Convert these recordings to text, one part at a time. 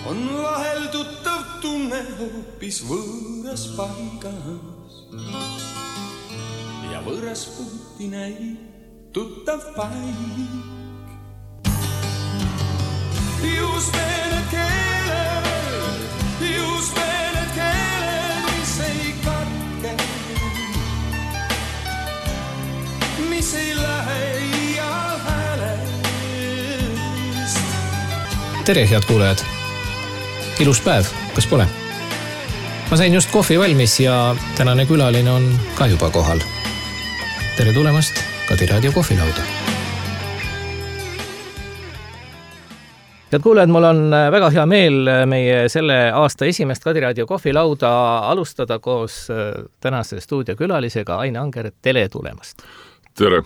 on vahel tuttav tunne hoopis võõras paigas ja võõras puuti näib tuttav paik. Just need keeled, mis ei katke, mis ei lähe iial häälest. Tere, head kuulajad! Ilus päev, kas pole? Ma sain just kohvi valmis ja tänane külaline on ka juba kohal. Tere tulemast Kadi Raadio kohvilauda. Head kuulajad, mul on väga hea meel meie selle aasta esimest Kadi Raadio kohvilauda alustada koos tänase stuudiokülalisega Aine Anger. Tere tulemast! Tere!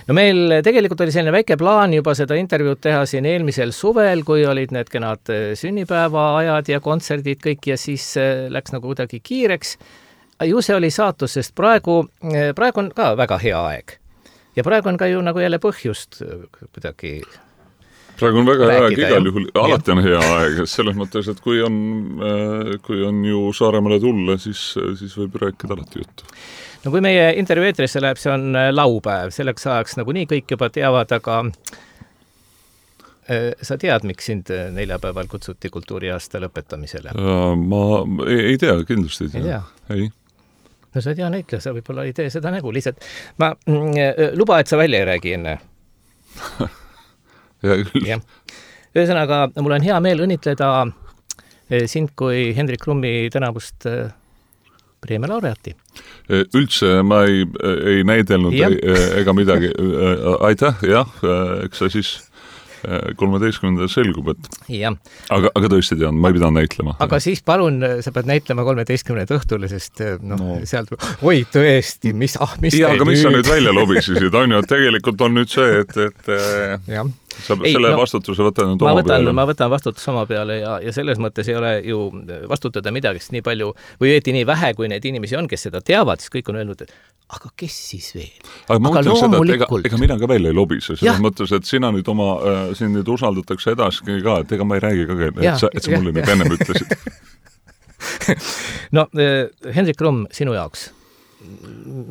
No meil tegelikult oli selline väike plaan juba seda intervjuud teha siin eelmisel suvel, kui olid need kenad sünnipäevaajad ja kontserdid kõik ja siis läks nagu kuidagi kiireks. Ju see oli saatus, sest praegu on ka väga hea aeg. Ja praegu on ka ju nagu jälle põhjust kuidagi praegu on väga hea aeg, rääkida, igal juhul alati on hea aeg, selles mõttes, et kui on ju Saaremaale tulla, siis võib rääkida alati juttu. No kui meie intervjuu eetrisse läheb, see on laupäev, selleks ajaks nagu nii kõik juba teavad, aga sa tead, miks sind neljapäeval kutsuti kultuuriaasta lõpetamisele? Ma ei tea, kindlasti ei tea. Ei. No sa ei tea näitleja, sa võib-olla ei tee seda nägu, lihtsalt ma luba, et sa välja ei räägi enne. Ja. Ühesõnaga, mul on hea meel õnnitleda sind kui Hendrik Krummi tänavust preemia laureaati. Üldse ma ei näidelnud ega midagi. Aitäh, jah, eks sa siis 13. selgub, et aga tõesti tean, ma ei pidanud näitlema. Aga siis palun, sa pead näitlema 13. õhtule, sest sealt oi tõesti, mis aga mis sa nüüd välja lobisesid, on ju, et tegelikult on nüüd see, et sa selle vastutuse võtad nüüd oma peale. Ma võtan vastutuse oma peale ja selles mõttes ei ole ju vastutada midagi, sest nii palju, või õieti nii vähe, kui need inimesi on, kes seda teavad, siis kõik on öelnud, et aga kes siis veel? Aga ma mõtlen seda, et ega mina ka välja ei lobise, selles mõttes, et sina nüüd siin nüüd usaldatakse edaski ka, et ega ma ei räägi ka, et sa mulle nüüd ennem ütlesid. No, Hendrik Krumm, sinu jaoks,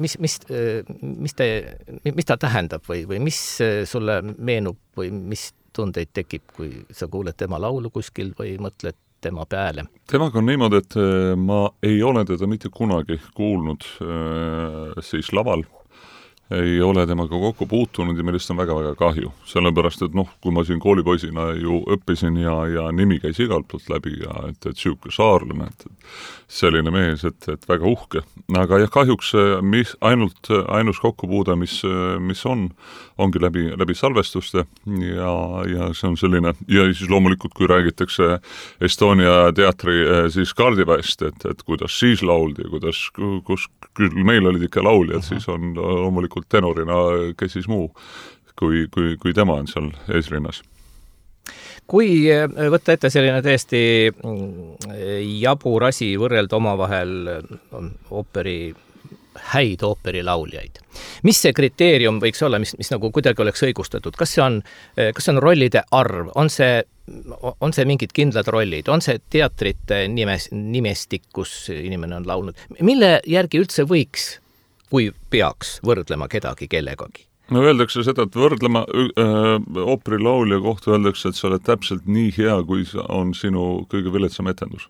mis ta tähendab või mis sulle meenub või mis tundeid tekib, kui sa kuuled tema laulu kuskil või mõtled tema peale? Temaga on niimoodi, et ma ei ole teda mitte kunagi kuulnud siis laval. Ei ole temaga kokku puutunud ja millest on väga-väga kahju. Sellepärast, et kui ma siin koolipoisina ju õppisin ja nimi käis igalt poolt läbi ja et siuke saarlane, et selline mees, et väga uhke. Aga jah, kahjuks ainus kokkupuude, mis ongi läbi salvestuste ja see on selline, ja siis loomulikult, kui räägitakse Estonia teatri siis kaardiväest, et kuidas siis lauldi ja kus küll meil olid ikka lauljad, siis on loomulikult tenorina, kes siis muu, kui tema on seal eesrinnas. Kui võtta ette selline tõesti jabur asi võrrelda omavahel häid ooperilauljaid. Mis see kriteerium võiks olla, mis nagu kuidagi oleks õigustatud? Kas see on rollide arv? On see mingid kindlad rollid? On see teatrite nimestik, kus inimene on laulnud? Mille järgi üldse võiks, kui peaks võrdlema kedagi kellegagi? No öeldakse seda, et võrdlema ooperilaulja kohta öeldakse, et sa oled täpselt nii hea, kui on sinu kõige viletsam etendus.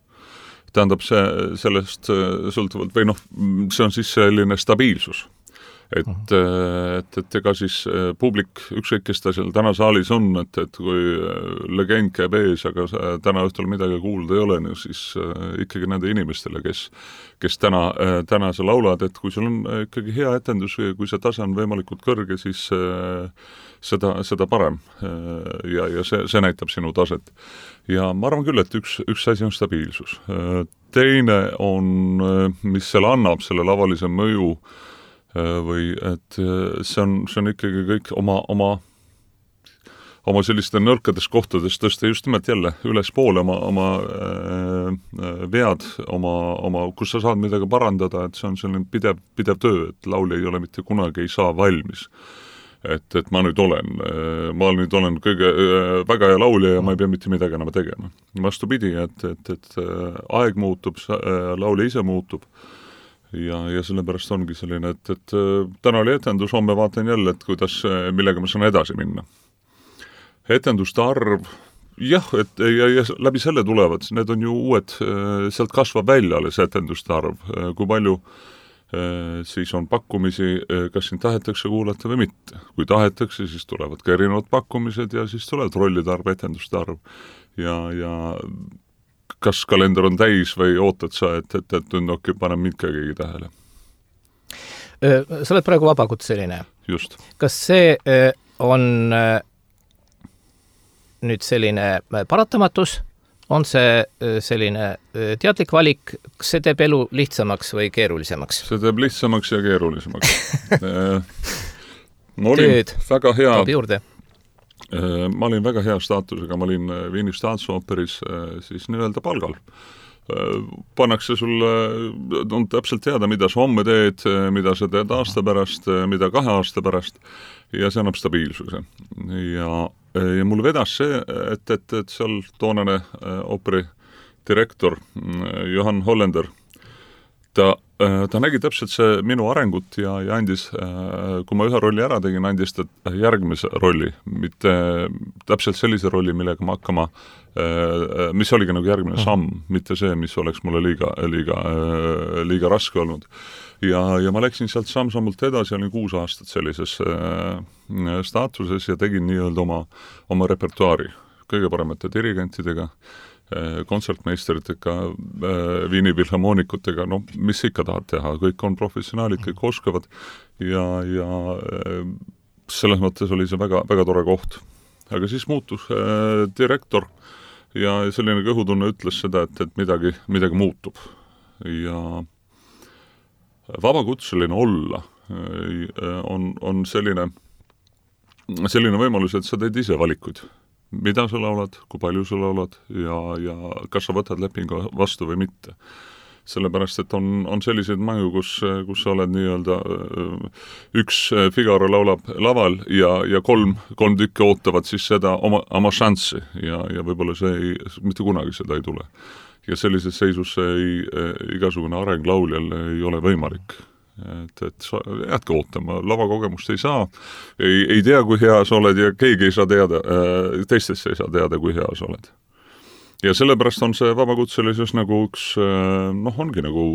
Tähendab sellest sõltuvalt, või see on siis selline stabiilsus. Et ega siis publik, ükskõik kes ta seal täna saalis on, et kui legend käib ees, aga täna õhtul midagi kuulda ei ole, siis ikkagi nende inimestele, kes täna sa laulad, et kui sul on ikkagi hea etendus või kui see tase on võimalikult kõrge, siis seda parem ja see näitab sinu taset. Ja ma arvan küll, et üks asi on stabiilsus. Teine on, mis seal annab selle lavalise mõju, või et see on ikkagi kõik oma selliste nõrkades kohtades tõsta just nimelt jälle ülespoole oma vead, kus sa saad midagi parandada, et see on selline pidev töö, et laulja ei ole mitte kunagi ei saa valmis. et ma nüüd olen kõige väga hea laulja ja ma ei pea mitte midagi enam tegema. Vastupidi, et aeg muutub, laulja ise muutub ja sellepärast ongi selline, et täna oli etendus, homme vaatan jälle, et millega ma saan edasi minna. Etenduste arv, jah, ja läbi selle tulevad, need on ju uued, sealt kasvab välja alles etenduste arv, kui palju siis on pakkumisi, kas siin tahetakse kuulata või mitte. Kui tahetakse, siis tulevad ka erinevad pakkumised ja siis tulevad rollide arv, etenduste arv. Ja kas kalender on täis või ootad sa, et nüüd paneb mind ka keegi tähele? Sa oled praegu vabakutseline. Just. Kas see on nüüd selline paratamatus? On see selline teadlik valik, kas see teeb elu lihtsamaks või keerulisemaks? See teeb lihtsamaks ja keerulisemaks. Tööd toob juurde. Ma olin väga hea staatusega, ma olin Viini Staatsoperis siis nii-öelda palgal. Pannakse sulle, on täpselt teada, mida sa homme teed, mida sa teed aasta pärast, mida 2 aasta pärast ja see annab stabiilsuse. Ja mul vedas see, et seal toonane ooperi direktor Johan Hollander, ta nägi täpselt see minu arengut ja andis, kui ma ühe rolli ära tegin, andis ta järgmise rolli, mitte täpselt sellise rolli, millega ma hakkama, mis oligi nagu järgmine samm, mitte see, mis oleks mulle liiga raske olnud. Ja ma läksin sealt samm-sammult edasi, olin 6 aastat sellises staatuses ja tegin nii-öelda oma repertuaari kõige paremate dirigentidega, kontsertmeisteritega, Viini filharmoonikutega, no mis ikka tahad teha, kõik on professionaalid, kõik oskavad ja selles mõttes oli see väga, väga tore koht. Aga siis muutus direktor ja selline kõhutunne ütles seda, et midagi muutub ja vabakutseline olla on selline võimalus, et sa teed ise valikuid. Mida sa laulad, kui palju sa laulad ja kas sa võtad lepingu vastu või mitte. Sellepärast, et on selliseid mängu, kus sa oled nii-öelda üks Figaro laulab laval ja kolm tükki ootavad siis seda oma šanssi ja võib-olla mitte kunagi seda ei tule. Ja sellises seisus igasugune areng lauljal ei ole võimalik. Et sa jäädki ootama, lavakogemust ei saa, ei tea, kui hea sa oled ja keegi ei saa teada, teistesse ei saa teada, kui hea sa oled. Ja sellepärast on see vabakutselisus nagu üks, ongi nagu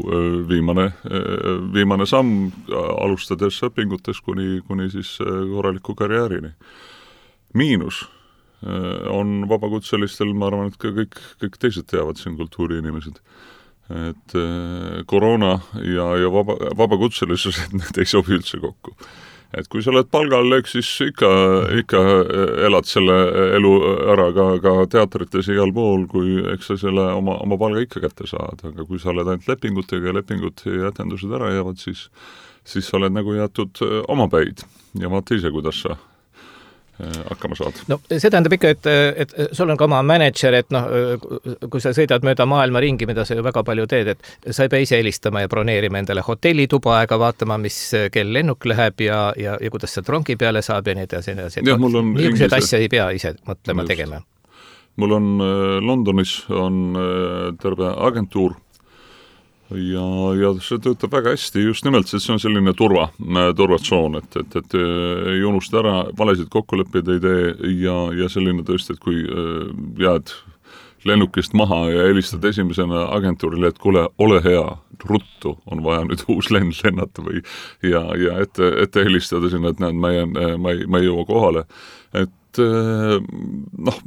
viimane samm, alustades õpingutes kuni siis korraliku karjäärini. Miinus on vabakutselistel, ma arvan, et ka kõik teised teavad siin kultuuriinimesed, et koroona ja vabakutselisus, et need ei sobi üldse kokku. Et kui sa oled palgal, siis ikka elad selle elu ära ka teatrites igal pool, kui eks sa selle oma palga ikka kätte saad, aga kui sa oled ainult lepingutega ja lepingud ja etendused ära jäävad, siis sa oled nagu jäetud omapäid ja vaata ise, kuidas sa hakkama saad. No see tähendab ikka, et sul on ka oma manager, et kui sa sõidad mööda maailma ringi, mida sa ju väga palju teed, et sa ei pea ise helistama ja broneerima endale hotellituba aega, vaatama, mis kell lennuk läheb ja kuidas sa trongi peale saab ja nii edasi. Niisugused asja ei pea ise mõtlema tegema. Mul on Londonis on terve agentuur ja see töötab väga hästi, just nimelt, see on selline turvatsoon, et ei unusta ära, valesid kokkuleppeid ei tee ja selline tõesti, et kui jääd lennukist maha ja helistad esimesena agentuurile, et kuule, ole hea, ruttu, on vaja nüüd uus lennata või ja ette helistada sinna, et näed, ma ei jõua kohale, et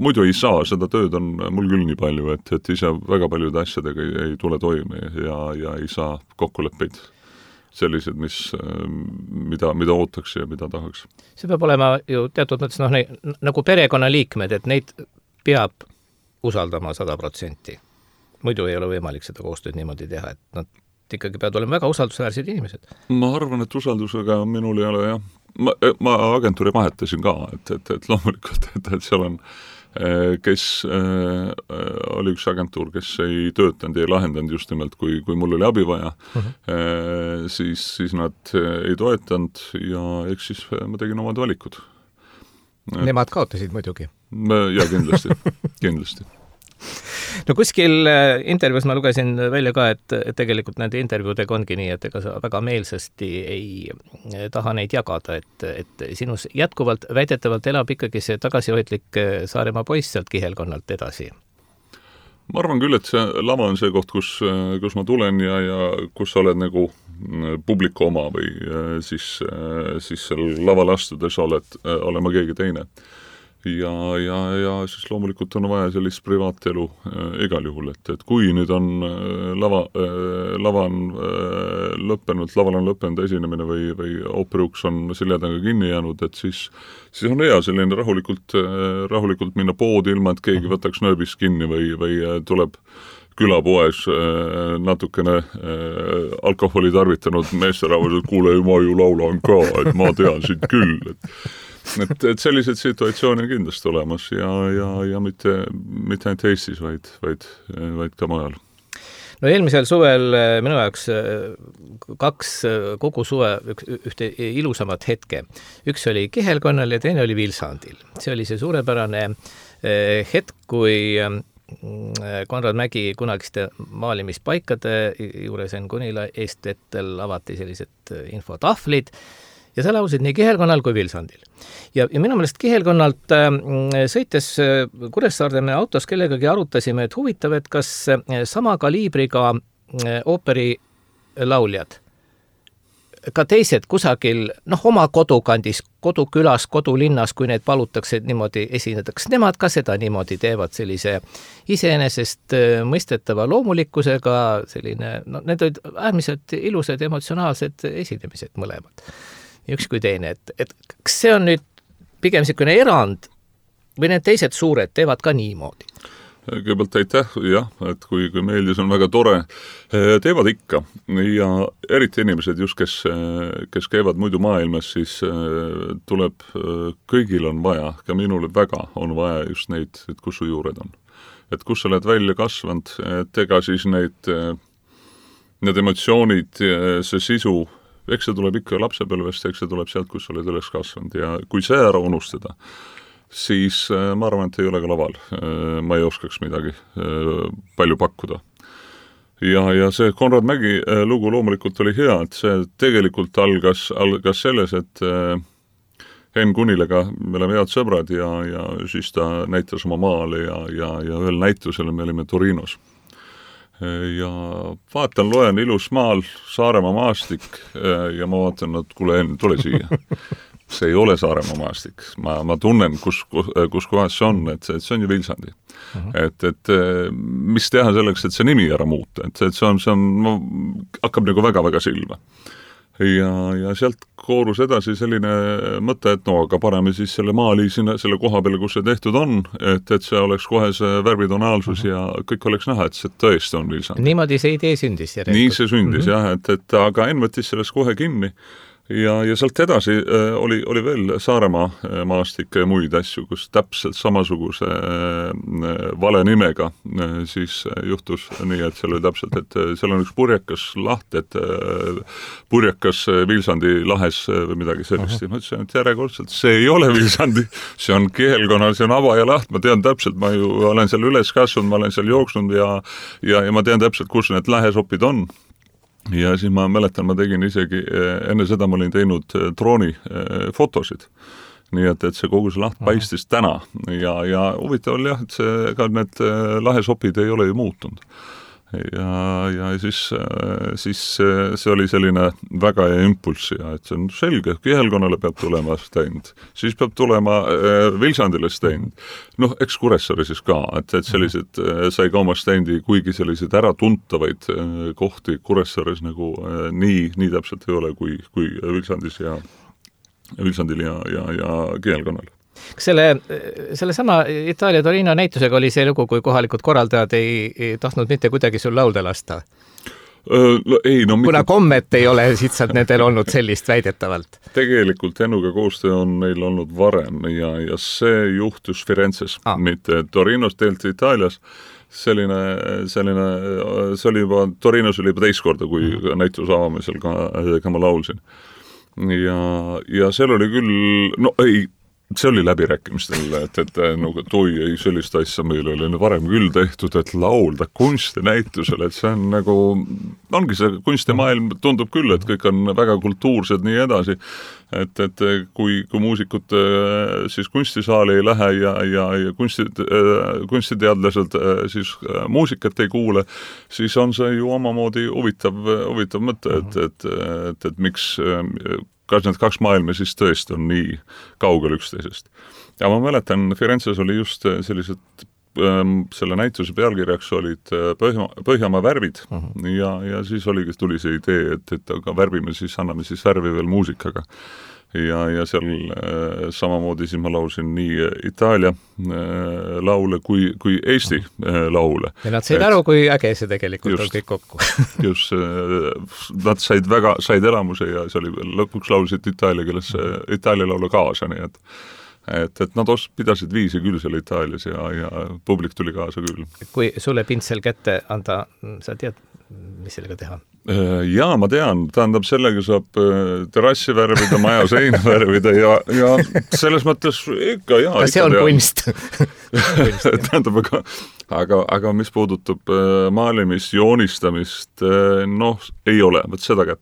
muidu ei saa, seda tööd on mul küll nii palju, et ise väga paljude asjadega ei tule toime ja ei saa kokkuleppeid sellised, mida ootaks ja mida tahaks. See peab olema ju teatud mõttes nagu perekonnaliikmed, et neid peab usaldama 100%. Muidu ei ole võimalik seda koostööd niimoodi teha, et nad ikkagi peavad olema väga usaldusväärsed inimesed. Ma arvan, et usaldusega minul ei ole, jah. Ma agentuuri vahetasin ka, et loomulikult, et seal on kes oli üks agentuur, kes ei töötanud ja ei lahendanud just nimelt, kui mul oli abi vaja, siis nad ei toetanud ja eks siis ma tegin omad valikud. Nemad kaotasid muidugi. Ja kindlasti. No kuskil intervjuus ma lugesin välja ka, et tegelikult nende intervjuudega ongi nii, et ega sa väga meelsasti ei taha neid jagada, et sinus jätkuvalt väidetavalt elab ikkagi see tagasihoidlik Saaremaa poiss sealt kihelkonnalt edasi. Ma arvan küll, et see lava on see koht, kus ma tulen ja kus sa oled nagu publiku oma või siis seal laval astudes olema keegi teine. Ja siis loomulikult on vaja sellist privaatelu igal juhul, et kui nüüd on laval on lõppenud esinemine või ooperiuks on seljadaga kinni jäänud, et siis on hea selline rahulikult minna poodi ilma, et keegi võtaks nööbist kinni või tuleb külapoes natukene alkoholi tarvitanud meesterahvas, et kuule, ma ju laulan ka, et ma tean sind küll, et sellised situatsioone on kindlasti olemas ja mitte ainult Eestis, vaid ka mujal. No eelmisel suvel minu jaoks kaks kogu suve ühte ilusamat hetke. Üks oli Kihelkonnal ja teine oli Vilsandil. See oli see suurepärane hetk, kui Konrad Mägi kunagiste maalimispaikade juures Kunila eestvetel avati sellised infotahvlid ja sa lausid nii Kihelkonnal kui Vilsandil. Ja minu meelest Kihelkonnalt sõites Kuressaarde me autos kellegagi arutasime, et huvitav, et kas sama kaliibriga ooperi lauljad, ka teised kusagil, oma kodukandis, kodukülas, kodulinnas, kui need palutakse niimoodi esineda, kas nemad ka seda niimoodi teevad sellise iseenesest mõistetava loomulikkusega, need olid äärmiselt ilusad emotsionaalsed esinemised mõlemad. Üks kui teine, et kas see on nüüd pigem selline erand või need teised suured teevad ka niimoodi? Kõigepealt aitäh, jah, et kui meeldis, on väga tore, teevad ikka ja eriti inimesed just, kes käivad muidu maailmas, siis tuleb, kõigil on vaja, ka minule väga on vaja just neid, et kus su juured on. Et kus sa oled välja kasvanud, et ega siis need emotsioonid, see sisu, eks see tuleb ikka lapsepõlvest, eks see tuleb sealt, kus sa oled üles kasvanud ja kui see ära unustada, siis ma arvan, et ei ole ka laval. Ma ei oskaks midagi palju pakkuda. Ja see Konrad Mägi lugu loomulikult oli hea, et see tegelikult algas selles, et Henn Kunilega me oleme head sõbrad ja siis ta näitas oma maale ja ühel näitusel me olime Torinos. Ja loen ilus maal Saaremaa maastik ja ma vaatan, et kuule, Henn, tule siia. See ei ole Saaremaa maastik. Ma tunnen, kus kohas see on, et see on ju Vilsandi. Et mis teha selleks, et see nimi ära muuta, et see on hakkab nagu väga-väga silma. Ja sealt koorus edasi selline mõte, et aga pareme siis selle maali sinna, selle koha peale, kus see tehtud on, et see oleks kohe see värvitonaalsus ja kõik oleks näha, et see tõesti on Vilsandi. Niimoodi see idee sündis järelikult. Nii see sündis, jah, et aga Enn võttis sellest kohe kinni ja sealt edasi oli veel Saaremaa maastik ja muid asju, kus täpselt samasuguse vale nimega siis juhtus nii, et seal oli täpselt, et seal on üks purjekas laht, et purjekas Vilsandi lahes või midagi sellist. Ma ütlesin, et järjekordselt see ei ole Vilsandi, see on Kihelkonnal, see on Avaja laht, ma tean täpselt, ma ju olen seal üles kasvanud, ma olen seal jooksnud ja ma tean täpselt, kus need lähesopid on. Ja siis ma mäletan, ma tegin isegi, enne seda ma olin teinud drooni fotosid. Nii et see kogu see laht paistis täna ja huvitav oli jah, et need lahesopid ei ole ju muutunud. Ja siis see oli selline väga hea impulss ja et see on selge, Kihelkonnale peab tulema stend, siis peab tulema Vilsandile stend. Eks Kuressaare siis ka, et sellised sai ka oma stendi, kuigi sellised äratuntavaid kohti Kuressaares nagu nii täpselt ei ole kui Vilsandil ja Kihelkonnal. Kas selle sama Itaalia Torino näitusega oli see lugu, kui kohalikud korraldajad ei tahtnud mitte kuidagi sul laulda lasta? kuna kommet ei ole lihtsalt nendel olnud sellist väidetavalt. Tegelikult Ennuga koostöö on neil olnud varem ja see juhtus Firenzes, mitte Torinos, tegelikult Itaalias. See oli juba, Torinos oli juba teist korda, kui näituse avamisel ka ma laulsin. Ja seal oli küll, see oli läbirääkimistel, et ei sellist asja meil oli varem küll tehtud, et laulda kunstinäitusel, et see on nagu, ongi see kunstimaailm tundub küll, et kõik on väga kultuursed nii edasi, et kui muusikud siis kunstisaali ei lähe ja kunstiteadlased siis muusikat ei kuule, siis on see ju omamoodi huvitav mõte, et miks kas need kaks maailma siis tõesti on nii kaugel üksteisest. Ja ma mäletan, Firenzes oli just sellised, selle näituse pealkirjaks olid Põhjamaa värvid ja siis tuli see idee, et aga värvime siis, anname siis värvi veel muusikaga. Ja seal samamoodi siis ma laulsin nii Itaalia laule kui Eesti laule. Ja nad said aru, kui äge see tegelikult on kõik kokku. Just, nad said elamuse ja see oli lõpuks laulsid Itaalia keeles Itaalia laulu kaasa, nii et nad pidasid viisi küll seal Itaalias ja publik tuli kaasa küll. Kui sulle pintsel kätte anda, sa tead, mis sellega teha? Jaa, ma tean. Tähendab, sellega saab terrassi värvida, maja seina värvida ja selles mõttes ikka jaa. Kas see on kunst? Tähendab, aga mis puudutab maalimist, joonistamist, ei ole. Seda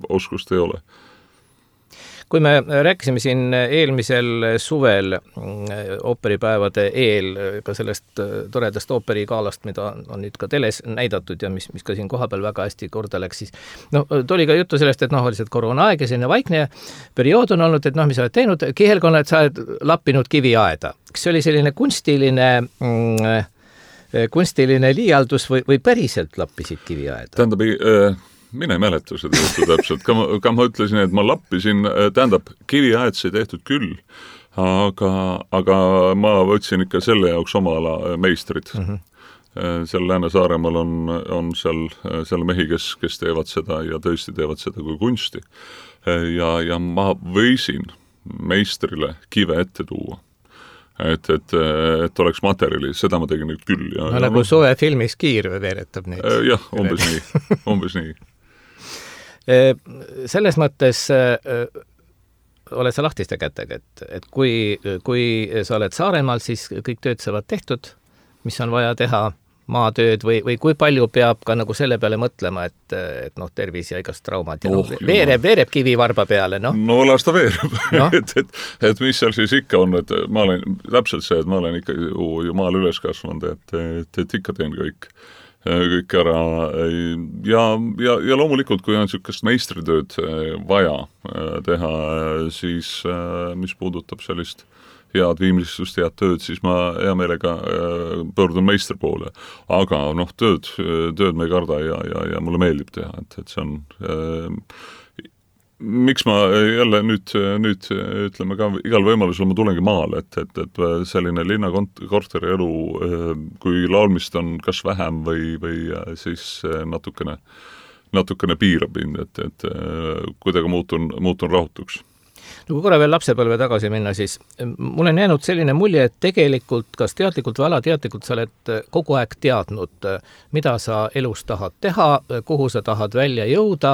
oskust ei ole. Kui me rääkisime siin eelmisel suvel ooperipäevade eel ka sellest toredast ooperikaalast, mida on nüüd ka teles näidatud ja mis ka siin kohapeal väga hästi korda läks, siis tuli ka juttu sellest, et oli see koroonaaeg ja selline vaikne periood on olnud, et mis sa oled teinud, kihelkonna, et sa oled lappinud kiviaeda. Kas see oli selline kunstiline liialdus või päriselt lappisid kiviaeda? Tähendab, mina ei mäleta seda juttu täpselt. Ka ma ütlesin, et ma lappisin, tähendab, kiviaed sai tehtud küll, aga ma võtsin ikka selle jaoks oma ala meistrid. Seal Lääne-Saaremaal on seal mehi, kes teevad seda ja tõesti teevad seda kui kunsti. Ja ma võisin meistrile kive ette tuua. Et oleks materjali, seda ma tegin nüüd küll. Nagu suve filmis Kiir veeretab neid. Jah, umbes nii. Selles mõttes oled sa lahtiste kätega, et kui sa oled Saaremaal, siis kõik tööd saavad tehtud, mis on vaja teha, maatööd või kui palju peab ka nagu selle peale mõtlema, et tervis ja igast traumad ja veereb kivivarba peale, las ta veereb. et mis seal siis ikka on, et ma olen täpselt see, et ma olen ikka ju maal üles kasvanud, et ikka teen kõik ära ja loomulikult, kui on niisugust meistritööd vaja teha, siis mis puudutab sellist head viimlistust, head tööd, siis ma hea meelega pöördun meistri poole. Aga tööd me ei karda ja mulle meeldib teha, et see on miks ma jälle nüüd ütleme ka igal võimalusel ma tulengi maale, et selline linnakorteri elu, kui laulmist on kas vähem või siis natukene piirab mind, et kuidagi muutun rahutuks. Kui korra veel lapsepõlve tagasi minna, siis mul on jäänud selline mulje, et tegelikult, kas teadlikult või alateadlikult sa oled kogu aeg teadnud, mida sa elus tahad teha, kuhu sa tahad välja jõuda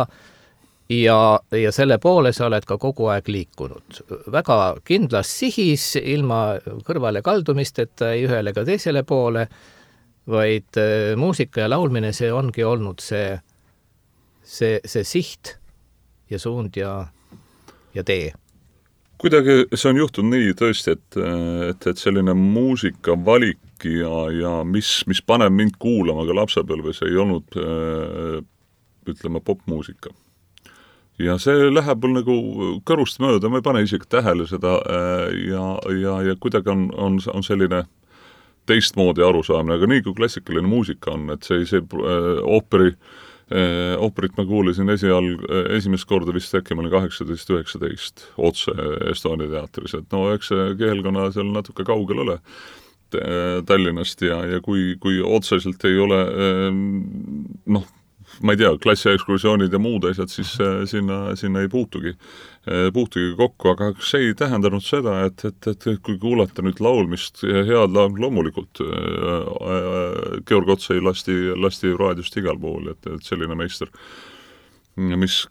ja selle poole sa oled ka kogu aeg liikunud. Väga kindlas sihis, ilma kõrvale kaldumisteta ei ühele ka teisele poole, vaid muusika ja laulmine, see ongi olnud see siht ja suund ja tee. Kuidagi see on juhtunud nii tõesti, et selline muusikavalik ja mis paneb mind kuulama ka lapsepõlves ei olnud, ütleme, popmuusika. Ja see läheb mul nagu kõrust mööda, ma ei pane isegi tähele seda ja kuidagi on selline teistmoodi arusaamine, aga nii kui klassikaline muusika on, et see ooperit ma kuulisin esimest korda vist äkki ma olin 18-19 otse Estonia teatris, et eks see keelkonna seal natuke kaugel ole Tallinnast ja kui otseselt ei ole ma ei tea, klassiekskursioonid ja muud asjad, siis sinna ei puutugi kokku, aga see ei tähendanud seda, et kui kuulata nüüd laulmist, head laul loomulikult, Georg Otsai lasti raadiost igal pool, et selline meister,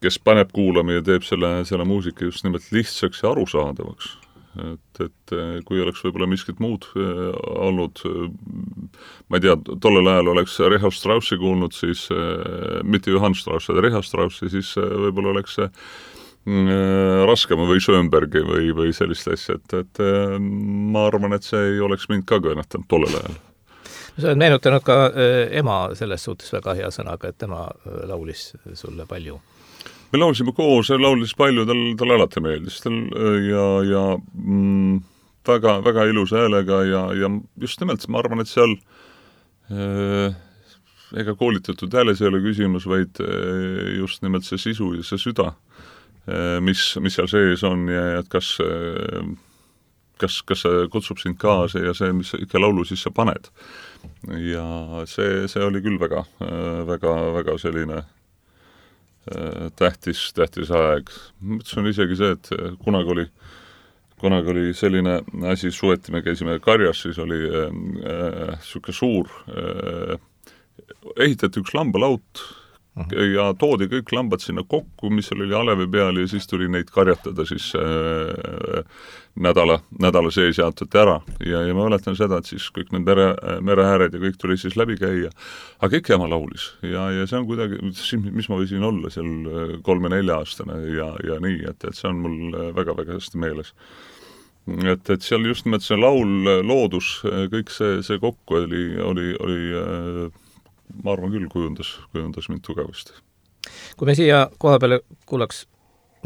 kes paneb kuulama ja teeb selle muusika just nimelt lihtsaks ja arusaadavaks. Et kui oleks võib-olla miskit muud olnud, ma ei tea, tollel ajal oleks Richard Straussi kuulnud, siis mitte Johann Strauss, aga Richard Straussi, siis võib-olla oleks raskema või Schönbergi või sellist asja, et ma arvan, et see ei oleks mind ka kõnetanud tollel ajal. Sa oled meenutanud ka ema selles suhtes väga hea sõnaga, et tema laulis sulle palju. Me laulsime koos, laulis palju, tal alati meeldis ja väga, väga ilusa häälega ja just nimelt ma arvan, et seal ega koolitatud hääles ei ole küsimus, vaid just nimelt see sisu ja see süda, mis seal sees on ja et kas see kutsub sind kaasa ja see, mis ikka laulu siis sa paned. Ja see oli küll väga, väga, väga selline tähtis aeg. Mõtlesin isegi see, et kunagi oli selline asi, suveti me käisime karjas, siis oli siuke suur, ehitati üks lambalaut ja toodi kõik lambad sinna kokku, mis oli alevi peal ja siis tuli neid karjatada siis nädala sees jaotati ära ja ma mäletan seda, et siis kõik need merehääred ja kõik tuli siis läbi käia, aga ikka ema laulis ja see on kuidagi, mis ma võisin olla seal 3-4 aastane ja nii, et see on mul väga-väga hästi meeles. Et seal just nimelt see laul, loodus, kõik see kokku oli ma arvan küll kujundas mind tugevasti. Kui me siia koha peale kuulaks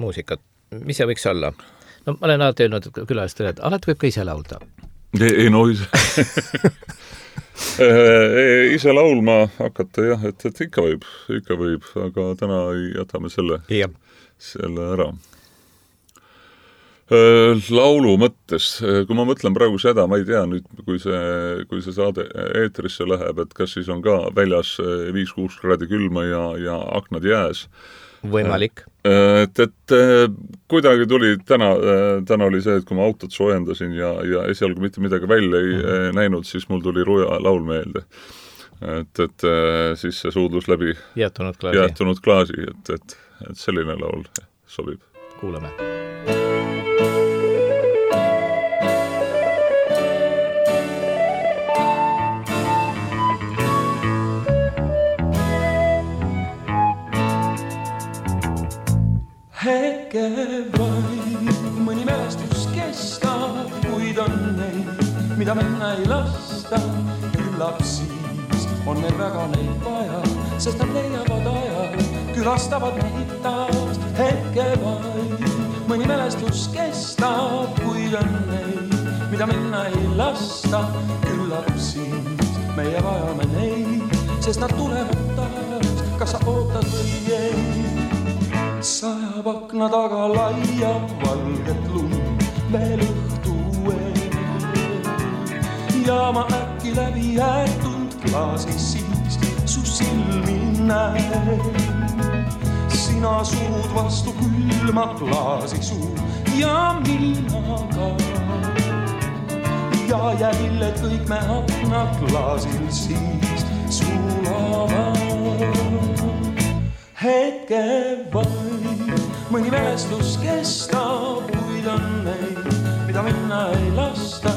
muusikat, mis see võiks olla? No ma olen alati öelnud külalistele, et alati võib ka ise laulda. Ei ise laulma hakata jah, et ikka võib, aga täna jätame selle ära. Laulu mõttes, kui ma mõtlen praegu seda, ma ei tea nüüd, kui see saade eetrisse läheb, et kas siis on ka väljas 5-6 kraadi külma ja aknad jääs. Võimalik. Et kuidagi tuli, täna oli see, et kui ma autot soojendasin ja esialgu mitte midagi välja ei näinud, siis mul tuli Ruja laul meelde. Et siis see suudlus läbi jäätunud klaasi, et selline laul sobib. Kuulame. Hetke vaid, mõni mälestus kestab, kuid on neid, mida minna ei lasta. Küllap siis on meil väga neid vaja, sest nad leiavad aja, külastavad neid taas. Hetke vaid, mõni mälestus kestab, kuid on neid, mida minna ei lasta. Küllap siis meie vajame neid, sest nad tulevad taas, kas sa ootad või ei. Sajab akna taga laia valget lund veel õhtu ja ma äkki läbi jäetud klaasi siis su silmi näen. Sina surud vastu külma klaasi suu ja mina ka ja jäljed kõik me akna klaasil siis sulavad. Hetke vaid, mõni mälestus kestab, kuid on neid, mida minna ei lasta.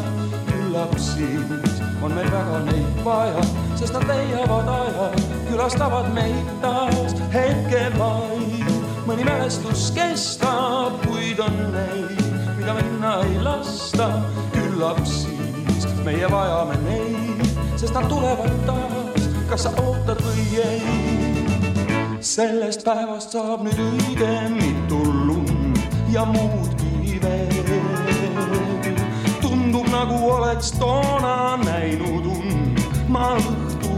Küllap siis on meil väga neid vaja, sest nad leiavad aja, külastavad meid taas. Hetke vaid, mõni mälestus kestab, kuid on neid, mida minna ei lasta. Küllap siis meie vajame neid, sest nad tulevad taas, kas sa ootad või ei. Sellest päevast saab nüüd õige mitu lund ja muudki veel. Tundub nagu oleks toona näinud ma õhtu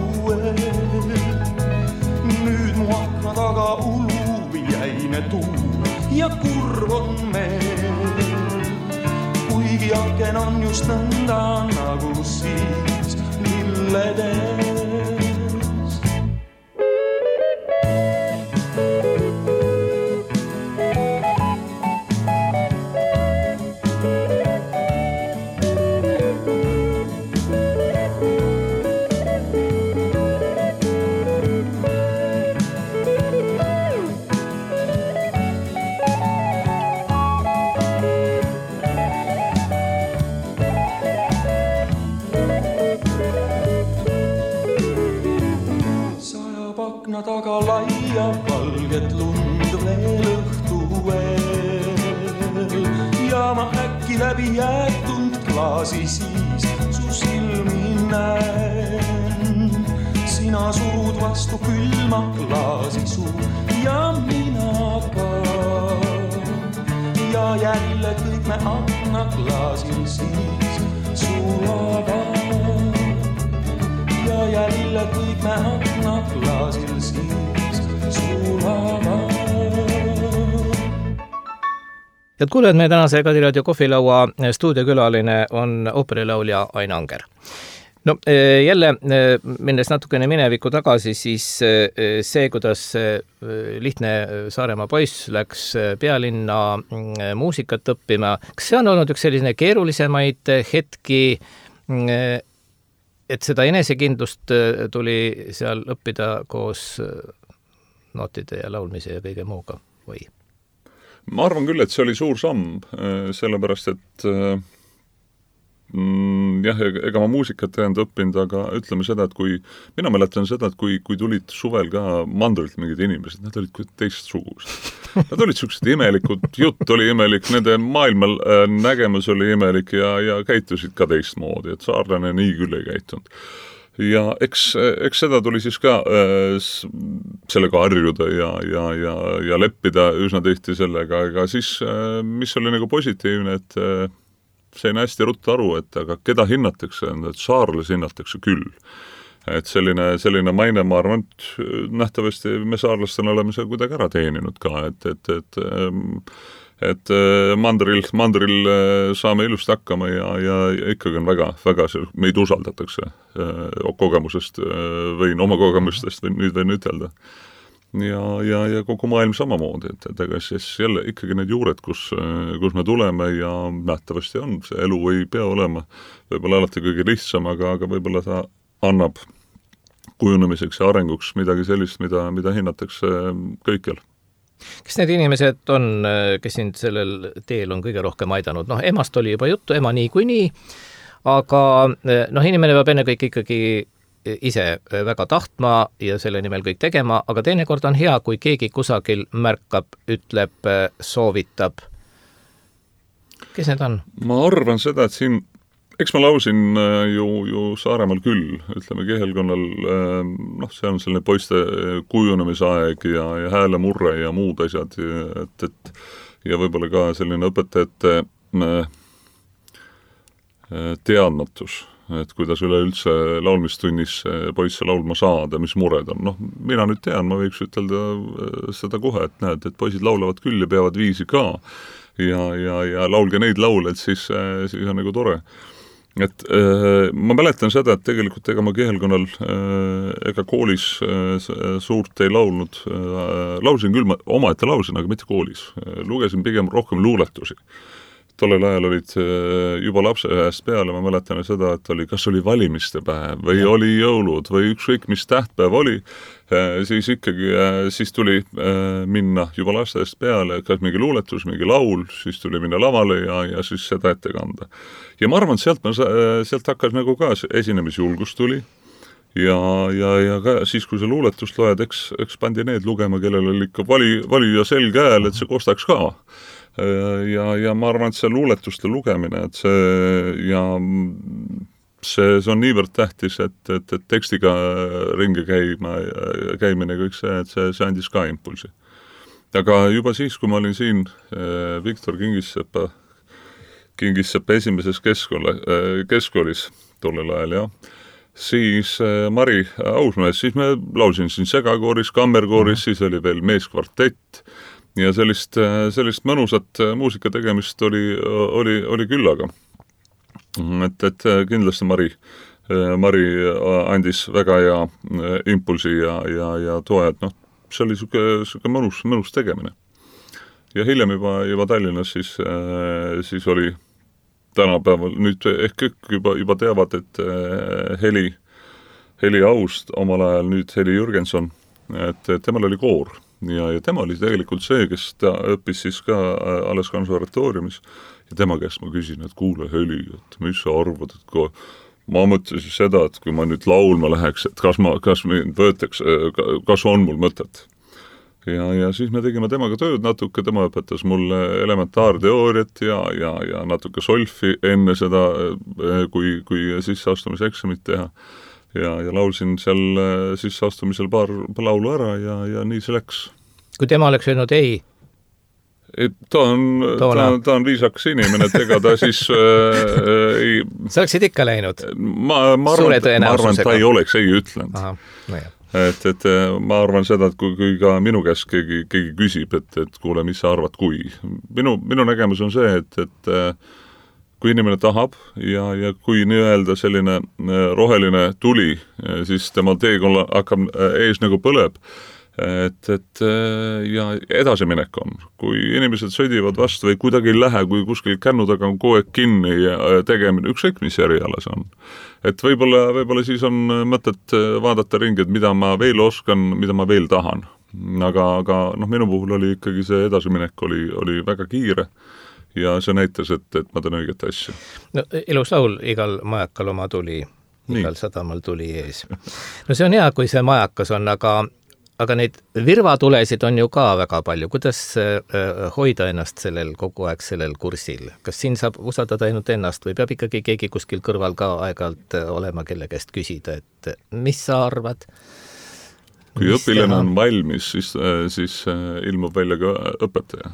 nüüd mu akna taga ulub jäine tuul ja kurv on meil. Kuigi aken on just nõnda nagu siis lilledes. Akna taga laia valget lund veel õhtu veel ja ma äkki läbi jäetud klaasi siis su silmi näen. Sina surud vastu külma klaasi suu ja mina ka ja jälle kõik me akna klaasil siis sulavad ja jälle kõik me akna klaasil siis sulavad. Head kuulejad, meie tänase Kadiraadio kohvilaua stuudiokülaline on ooperilaulja Ain Anger. No jälle, minnes natukene minevikku tagasi, siis see, kuidas lihtne Saaremaa poiss läks pealinna muusikat õppima, kas see on olnud üks selline keerulisemaid hetki, et seda enesekindlust tuli seal õppida koos nootide ja laulmise ja kõige muuga või? Ma arvan küll, et see oli suur samm, sellepärast, et jah, ega ma muusikat ei olnud õppinud, aga ütleme seda, et mina mäletan seda, et kui tulid suvel ka mandrilt mingid inimesed, nad olid teistsugused. Nad olid sellised imelikud, jutt oli imelik, nende maailmal nägemus oli imelik ja käitusid ka teistmoodi, et saarlane nii küll ei käitunud. Ja eks seda tuli siis ka sellega harjuda ja leppida üsna tihti sellega, aga siis, mis oli nagu positiivne, et sain hästi ruttu aru, et aga keda hinnatakse, et saarlasi hinnatakse küll. Et selline maine, ma arvan, et nähtavasti me saarlastena oleme seda kuidagi ära teeninud ka, et mandril saame ilusti hakkama ja ikkagi on väga meid usaldatakse kogemusest, võin oma kogemustest võin ütelda. Ja kogu maailm samamoodi, et ega siis jälle ikkagi need juured, kus me tuleme ja nähtavasti on, see elu ei pea olema võib-olla alati kõige lihtsam, aga võib-olla ta annab kujunemiseks ja arenguks midagi sellist, mida hinnatakse kõikjal. Kes need inimesed on, kes sind sellel teel on kõige rohkem aidanud? Emast oli juba juttu, ema nii kui nii, aga inimene peab enne kõik ikkagi ise väga tahtma ja selle nimel kõik tegema, aga teinekord on hea, kui keegi kusagil märkab, ütleb, soovitab. Kes need on? Ma arvan seda, et siin eks ma lausin ju Saaremaal küll, ütleme Kihelkonnal, see on selline poiste kujunemisaeg ja häälemurre ja muud asjad, ja võib-olla ka selline õpetajate teadmatus, et kuidas üleüldse laulmistunnis poisse laulma saada, mis mured on. Mina nüüd tean, ma võiks ütelda seda kohe, et näed, et poisid laulavad küll ja peavad viisi ka ja laulge neid laule, et siis on nagu tore. Et ma mäletan seda, et tegelikult ega ma Kihelkonnal ega koolis suurt ei laulnud. Lausin küll, omaette lausin, aga mitte koolis. Lugesin pigem rohkem luuletusi. Tollel ajal olid juba lapseajast peale, ma mäletan seda, et kas oli valimiste päev või oli jõulud või ükskõik mis tähtpäev oli, siis tuli minna juba lasteajast peale, kas mingi luuletus, mingi laul, siis tuli minna lavale ja siis seda ette kanda. Ja ma arvan, et sealt hakkas nagu ka esinemisjulgus tuli ja ka siis, kui see luuletust loed, eks pandi need lugema, kellel oli ikka valija selge hääl, et see kostaks ka. Ja ma arvan, et see luuletuste lugemine, et see on niivõrd tähtis, et tekstiga ringi käimine kõik see, et see andis ka impulsi. Aga juba siis, kui ma olin siin Viktor Kingissepa esimeses keskkoolis tollel ajal, siis Mari Ausmees, siis me lausin siin segakooris, kammerkooris, siis oli veel meeskvartett, ja sellist mõnusat muusika tegemist oli küllaga. Et kindlasti Mari andis väga hea impulsi ja toe, et see oli selline mõnus tegemine. Ja hiljem juba Tallinnas siis oli tänapäeval, nüüd ehk kõik juba teavad, et Heli Aust omal ajal, nüüd Heli Jürgenson, et temal oli koor. Ja tema oli tegelikult see, kes ta õppis siis ka alles konservatooriumis ja tema käest ma küsin, et kuule Heli, et mis sa arvad, et ma mõtlesin seda, et kui ma nüüd laulma läheks, et kas mind võetaks, kas on mul mõtet. Ja siis me tegime temaga tööd natuke, tema õpetas mulle elementaarteooriat ja natuke solfi enne seda, kui sisseastumiseksamit teha. Ja laulsin seal sisseastumisel paar laulu ära ja nii see läks. Kui tema oleks öelnud ei? Ta on viisakas inimene, et ega ta siis ei... Sa oleksid ikka läinud? Ma arvan, ta ei oleks ei ütlenud. Aha, no jah. Et ma arvan seda, et kui ka minu käest keegi küsib, et kuule, mis sa arvad, kui. Minu nägemus on see, et kui inimene tahab ja kui nii-öelda selline roheline tuli, siis tema teekonna hakkab ees nagu põleb, et ja edasiminek on. Kui inimesed sõdivad vastu või kuidagi ei lähe, kui kuskil kännu taga on kogu aeg kinni ja tegemine, ükskõik mis eriala see on. Et võib-olla siis on mõtet vaadata ringi, et mida ma veel oskan, mida ma veel tahan. Aga minu puhul oli ikkagi see edasiminek oli väga kiire ja see näitas, et ma teen õiget asja. No ilus laul, igal majakal oma tuli, igal sadamal tuli ees. No see on hea, kui see majakas on, aga neid virvatulesid on ju ka väga palju. Kuidas hoida ennast kogu aeg sellel kursil? Kas siin saab usaldada ainult ennast või peab ikkagi keegi kuskil kõrval ka aeg-ajalt olema, kelle käest küsida, et mis sa arvad? Kui õpilane on valmis, siis ilmub välja ka õpetaja.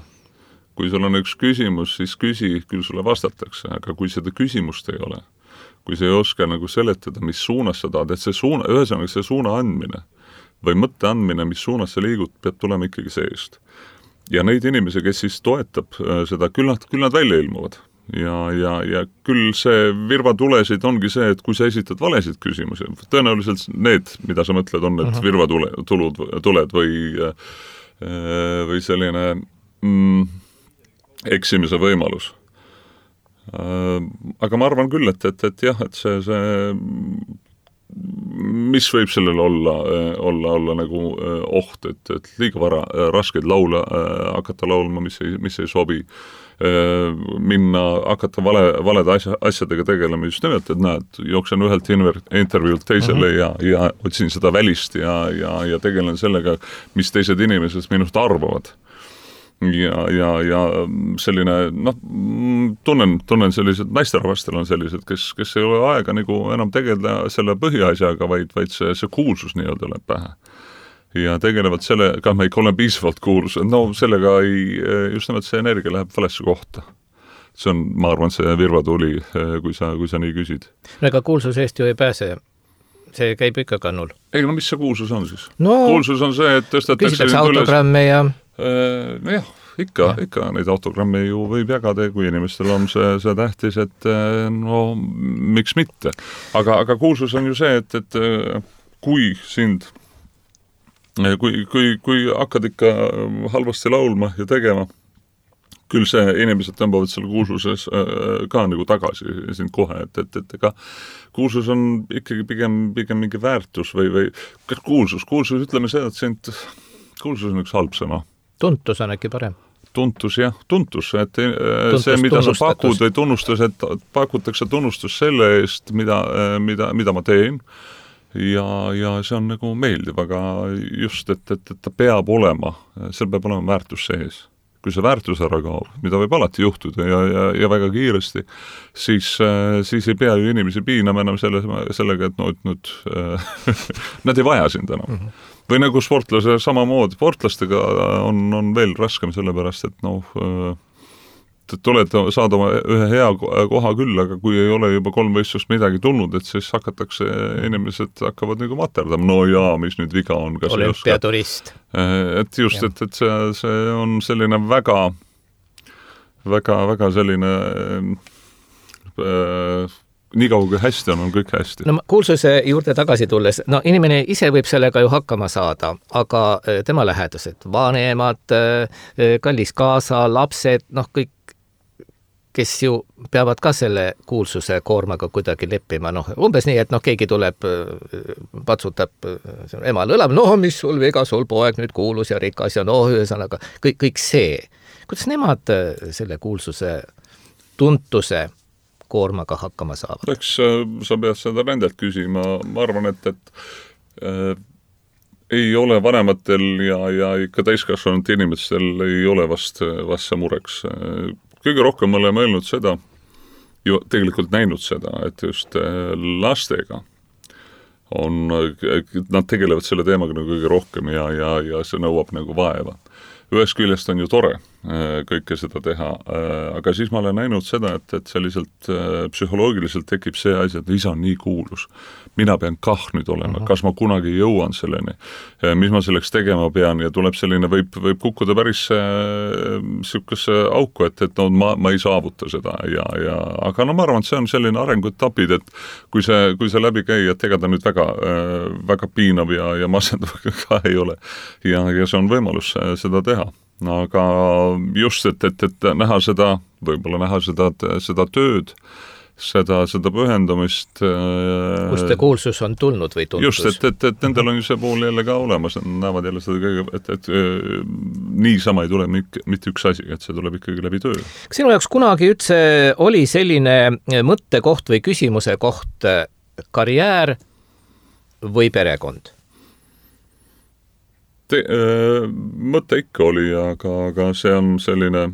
Kui sul on üks küsimus, siis küsi, küll sulle vastatakse, aga kui seda küsimust ei ole, kui sa ei oska nagu seletada, mis suunas sa tahad, et ühesõnaga see suuna andmine või mõtte andmine, mis suunas sa liigud, peab tulema ikkagi seest. Ja neid inimesi, kes siis toetab seda, küll nad välja ilmuvad. Ja küll see virvatulesid ongi see, et kui sa esitad valesid küsimusi, tõenäoliselt need, mida sa mõtled, on need virvatuled või selline eksimise võimalus. Aga ma arvan küll, et jah, et see mis võib sellele olla nagu oht, et liiga vara raskeid laule hakata laulma, mis ei sobi, hakata valede asjadega tegelema, just nimelt, et näed, jooksen ühelt intervjuult teisele ja otsin seda välist ja tegelen sellega, mis teised inimesed minust arvavad. Ja selline, tunnen sellised, naisterahvastel on sellised, kes ei ole aega nagu enam tegeleda selle põhiasjaga, vaid see kuulsus nii-öelda läheb pähe. Ja tegelevad sellega, ma ikka olen piisavalt kuulus, sellega just nimelt see energia läheb valesse kohta. See on, ma arvan, see virvatuli, kui sa nii küsid. No ega kuulsus eest ju ei pääse. See käib ikka kannul. Ei, mis see kuulsus on siis? Kuulsus on see, et tõstetakse... Küsitakse autogramme ja... Nojah, ikka neid autogramme ju võib jagada, kui inimestel on see tähtis, et miks mitte. Aga kuulsus on ju see, et kui sind, kui hakkad ikka halvasti laulma ja tegema, küll see inimesed tõmbavad selle kuulsuses ka nagu tagasi sind kohe, et ega kuulsus on ikkagi pigem mingi väärtus või kuulsus, ütleme seda, et kuulsus on üks halb sõna. Tuntus on äkki parem. Tuntus, et see, mida sa pakud või tunnustus, et pakutakse tunnustus selle eest, mida ma teen ja see on nagu meeldiv, aga just, et ta peab olema, seal peab olema väärtus sees. Kui see väärtus ära kaob, mida võib alati juhtuda ja väga kiiresti, siis ei pea ju inimesi piinama enam sellega, et nad ei vaja sind enam. Või nagu sportlase samamoodi, sportlastega on veel raskem sellepärast, et saad oma ühe hea koha küll, aga kui ei ole juba 3 võistlust midagi tulnud, et siis inimesed hakkavad nagu materdama. No jaa, mis nüüd viga on? Olümpiaturist. Et just, et see on selline väga selline nii kaua kui hästi on kõik hästi. No kuulsuse juurde tagasi tulles, inimene ise võib sellega ju hakkama saada, aga tema lähedased, vanemad, kallis kaasa, lapsed, kõik, kes ju peavad ka selle kuulsuse koormaga kuidagi leppima, umbes nii, et keegi tuleb, patsutab emal õlab, mis sul viga, sul poeg nüüd kuulus ja rikas ja ühesõnaga, kõik see. Kuidas nemad selle kuulsuse tuntuse koormaga hakkama saavad? Eks sa pead seda nendelt küsima. Ma arvan, et ei ole vanematel ja ikka täiskasvanud inimestel ei ole vast see mureks. Kõige rohkem me oleme öelnud seda, ju tegelikult näinud seda, et just lastega nad tegelevad selle teemaga nagu kõige rohkem ja see nõuab nagu vaeva. Ühest küljest on ju tore kõike seda teha, aga siis ma olen näinud seda, et selliselt psühholoogiliselt tekib see asi, et isa on nii kuulus. Mina pean kah nüüd olema, kas ma kunagi jõuan selleni, mis ma selleks tegema pean ja tuleb selline, võib kukkuda päris sihukesse auku, et no, ma ei saavuta seda aga no ma arvan, et see on selline arenguetapid, et kui see läbi käi, et ega ta nüüd väga piinav ja masendav ka ei ole ja see on võimalus seda teha. Aga just, et näha seda, võib-olla näha seda tööd, seda pühendumist. Kust see kuulsus on tulnud või tuntus? Just, et nendel on ju see pool jälle ka olemas, näevad jälle seda kõige, et niisama ei tule mitte üks asi, et see tuleb ikkagi läbi töö. Kas sinu jaoks kunagi üldse oli selline mõttekoht või küsimuse koht karjäär või perekond? Mõte ikka oli, aga see on selline,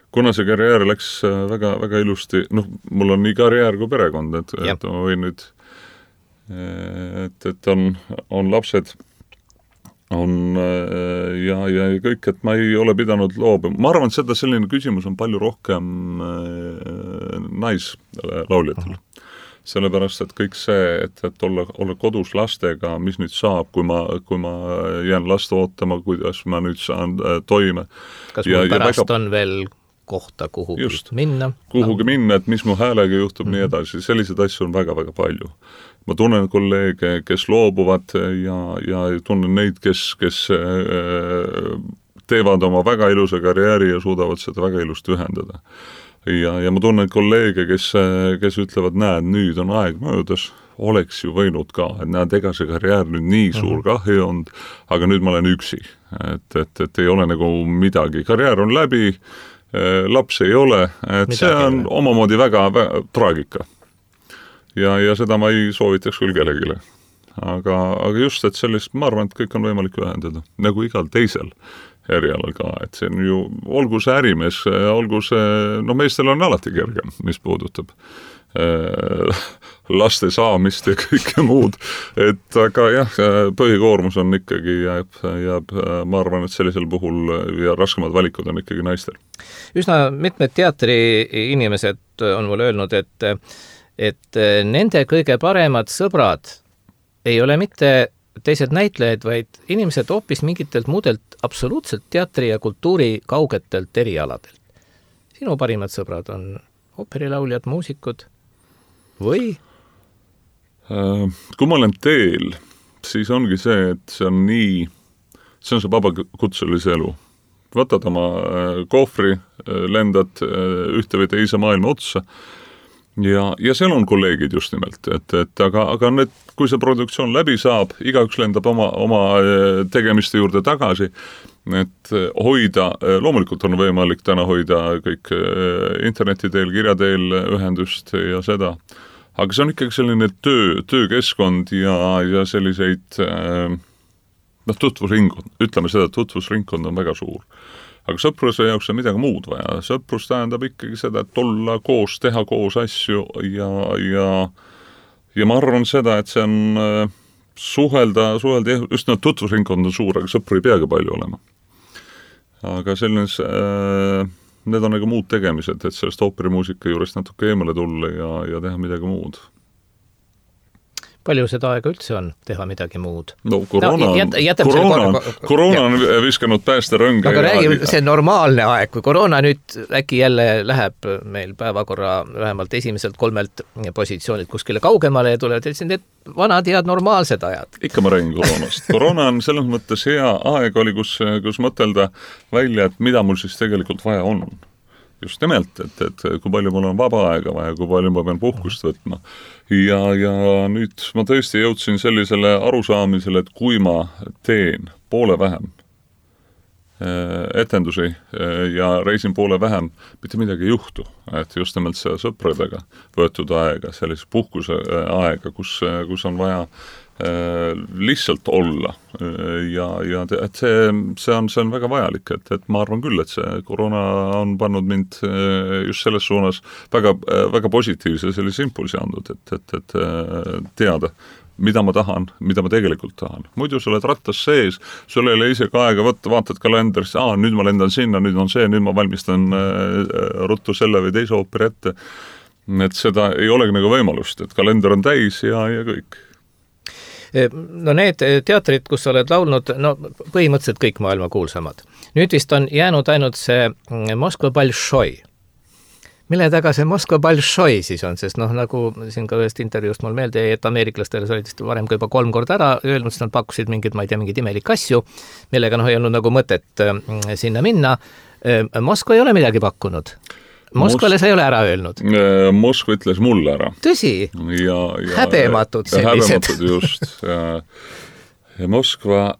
kuna see karjäär läks väga, väga ilusti, mul on nii karjäär kui perekond, et ma võin nüüd, et on lapsed, ja kõik, et ma ei ole pidanud loobuma. Ma arvan, et seda selline küsimus on palju rohkem naislauljatel. Sellepärast, et kõik see, et olla kodus lastega, mis nüüd saab, kui ma jään last ootama, kuidas ma nüüd saan toime. Kas mul pärast on veel kohta kuhugi minna? Kuhugi minna, et mis mu häälega juhtub, nii edasi. Selliseid asju on väga-väga palju. Ma tunnen kolleege, kes loobuvad ja tunnen neid, kes teevad oma väga ilusa karjääri ja suudavad seda väga ilusti ühendada. Ja ma tunnen kolleege, kes ütlevad, näed, nüüd on aeg möödas, oleks ju võinud ka, et näed, ega see karjäär nüüd nii suur kahju on, aga nüüd ma olen üksi, et ei ole nagu midagi. Karjäär on läbi, laps ei ole, et midagi see on omamoodi väga traagika. Ja seda ma ei soovitaks küll kellegile. Aga just, et sellist, ma arvan, et kõik on võimalik ühendada, nagu igal teisel erialal ka, et see on ju, olgu see ärimees, olgu see, meestel on alati kergem, mis puudutab laste saamist ja kõike muud, et aga jah, põhikoormus on ikkagi jääb, ma arvan, et sellisel puhul ja raskemad valikud on ikkagi naistel. Üsna mitmed teatriinimesed on mulle öelnud, et nende kõige paremad sõbrad ei ole mitte teised näitlejad, vaid inimesed hoopis mingitelt muudelt absoluutselt teatri ja kultuuri kaugetelt erialadelt. Sinu parimad sõbrad on ooperilauljad, muusikud või? Kui ma olen teel, siis ongi see, et see on see vabakutselise elu. Võtad oma kohvri, lendad ühte või teise maailma otsa ja seal on kolleegid just nimelt, aga need, kui see produktsioon läbi saab, igaüks lendab oma tegemiste juurde tagasi, et hoida, loomulikult on võimalik täna hoida kõik interneti teel, kirja teel ühendust ja seda, aga see on ikkagi selline töökeskkond ja selliseid tutvusringkond, ütleme seda, tutvusringkond on väga suur. Aga sõpruse jaoks on midagi muud vaja. Sõprus tähendab ikkagi seda, et olla koos, teha koos asju ja ma arvan seda, et see on suhelda, just need tutvusringkond on suur, aga sõpru ei peagi palju olema. Aga selline, need on nagu muud tegemised, et sellest ooperimuusika juurest natuke eemale tulla ja teha midagi muud. Palju seda aega üldse on teha midagi muud? No koroona on viskanud päästerõnga. Aga räägi, see normaalne aeg, kui koroona nüüd äkki jälle läheb meil päevakorra vähemalt esimeselt 3 positsioonilt kuskile kaugemale ja tulevad need vanad head normaalsed ajad. Ikka ma räägin koroonast. Koroona on selles mõttes hea aeg oli, kus mõtelda välja, et mida mul siis tegelikult vaja on. Just nimelt, et kui palju mul on vaba aega vaja, kui palju ma pean puhkust võtma. Ja nüüd ma tõesti jõudsin sellisele arusaamisele, et kui ma teen poole vähem etendusi ja reisin poole vähem, mitte midagi ei juhtu. Et just nimelt see sõpradega võetud aega, sellise puhkuse aega, kus on vaja lihtsalt olla ja et see on väga vajalik, et ma arvan küll, et see koroona on pannud mind just selles suunas väga positiivse sellise impulsi andnud, et teada, mida ma tahan, mida ma tegelikult tahan. Muidu sa oled rattas sees, sul ei ole isegi aega võtta, vaatad kalenderisse, nüüd ma lendan sinna, nüüd on see, nüüd ma valmistan ruttu selle või teise ooperi ette. Et seda ei olegi nagu võimalust, et kalender on täis ja kõik. No need teatrid, kus sa oled laulnud, no põhimõtteliselt kõik maailma kuulsamad. Nüüd vist on jäänud ainult see Moskva Balšoi. Mille taga see Moskva Balšoi siis on, sest nagu siin ka ühest intervjuust mul meelde, et ameeriklastele sa olid vist varem ka juba 3 korda ära öelnud, sest nad pakkusid mingid imelik asju, millega ei olnud nagu mõtet sinna minna. Moskva ei ole midagi pakkunud. Moskvale sa ei ole ära öelnud. Moskva ütles mulle ära. Tõsi? Häbematud sellised. Häbematud just. Ja Moskva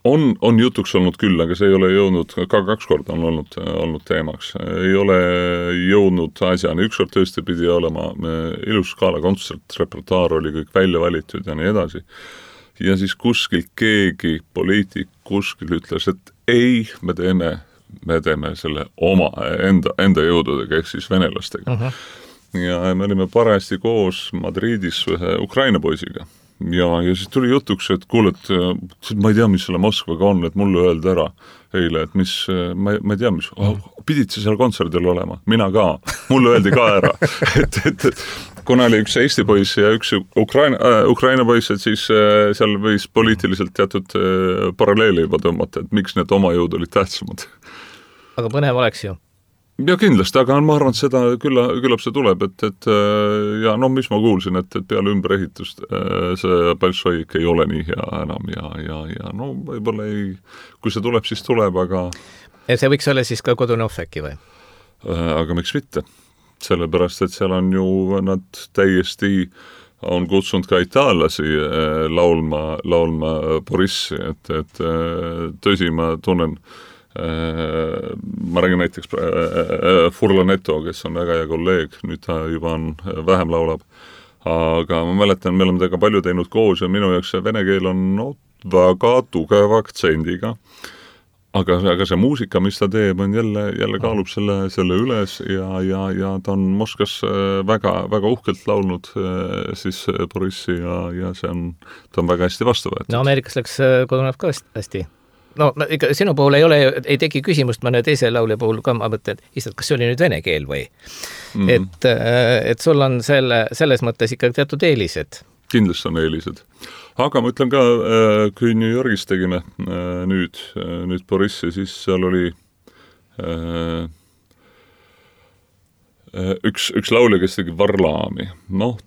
on jutuks olnud küll, aga see ei ole jõudnud, ka 2 korda on olnud teemaks. Ei ole jõudnud asjani. Ükskord tõesti pidi olema ilus skaala kontsert, repertuaar oli kõik välja valitud ja nii edasi. Ja siis kuskil keegi poliitik kuskil ütles, et ei, me teeme selle oma enda jõududega, ehk siis venelastega. Ja me olime parajasti koos Madridis ühe Ukraina poisiga. Ja siis tuli jutuks, et kuule, et ma ei tea, mis selle Moskvaga on, et mulle öeldi ära eile, et ma ei tea, mis pidid sa seal kontserdil olema, mina ka, mulle öeldi ka ära et kuna oli üks Eesti poiss ja üks Ukraina poiss, et siis seal võis poliitiliselt teatud paralleeli juba tõmmata, et miks need oma jõud olid tähtsamad. Aga põnev oleks ju. Ja kindlasti, aga ma arvan, et seda küllap see tuleb, et ja mis ma kuulsin, et peale ümberehitust see Balšoi ei ole nii hea enam ja võib-olla ei, kui see tuleb, siis tuleb, aga... Ja see võiks olla siis ka Kodunov äkki või? Aga miks mitte? Sellepärast, et seal on ju nad täiesti on kutsunud ka itaallasi laulma Borissi, et tõsi, ma tunnen ma räägin näiteks Furlaneto, kes on väga hea kolleeg, nüüd ta juba on vähem laulab, aga ma mäletan, me oleme tega palju teinud koos ja minu jaoks see vene keel on väga tugeva aktsendiga, aga see muusika, mis ta teeb, on jälle kaalub selle üles ja ta on Moskvas väga uhkelt laulnud siis Borissi ja ta on väga hästi vastu võetud. No Ameerikas läks Kodunov ka hästi. No ikka sinu puhul ei teki küsimust, mõne teise laulja puhul ka, ma mõtlen, kas see oli nüüd vene keel või? Et sul on selles mõttes ikka teatud eelised. Kindlasti on eelised. Aga ma ütlen ka, kui New Yorgis tegime nüüd Borissi, siis seal oli üks laulja, kes tegi Varlaami.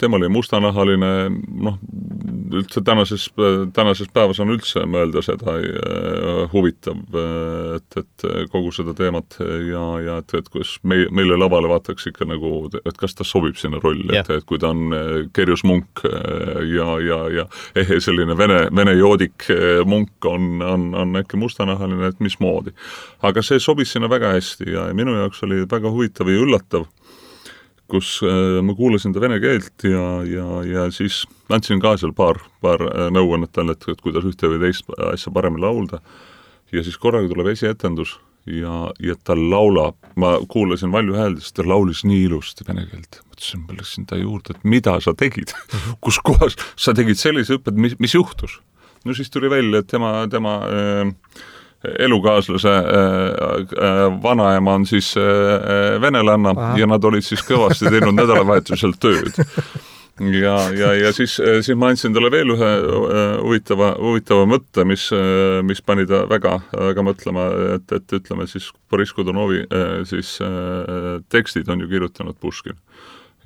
Tema oli mustanahaline, üldse tänases päevas on üldse mõelda seda huvitav, et kogu seda teemat ja et kus meile lavale vaataks ikka nagu, et kas ta sobib sinna rolli, et kui ta on Kerjus Munk ja selline vene joodik Munk on äkki mustanahaline, et mismoodi. Aga see sobis sinna väga hästi ja minu jaoks oli väga huvitav ja üllatav, kus ma kuulasin ta vene keelt ja siis andsin ka seal paar nõuannet talle, et kuidas ühte või teist asja paremini laulda. Ja siis korraga tuleb esietendus ja ta laulab, ma kuulasin Valju Hääldes, ta laulis nii ilusti vene keelt. Mõtlesin, ma läksin ta juurde, et mida sa tegid? Kus kohas sa tegid sellise õpped, mis juhtus? No siis tuli välja, et tema elukaaslase vanaema on siis venelanna ja nad olid siis kõvasti teinud nädalavahetusel tööd. Ja siis ma andsin talle veel ühe huvitava mõtte, mis pani ta väga mõtlema, et ütleme siis Boris Godunovi siis tekstid on ju kirjutanud Puškin.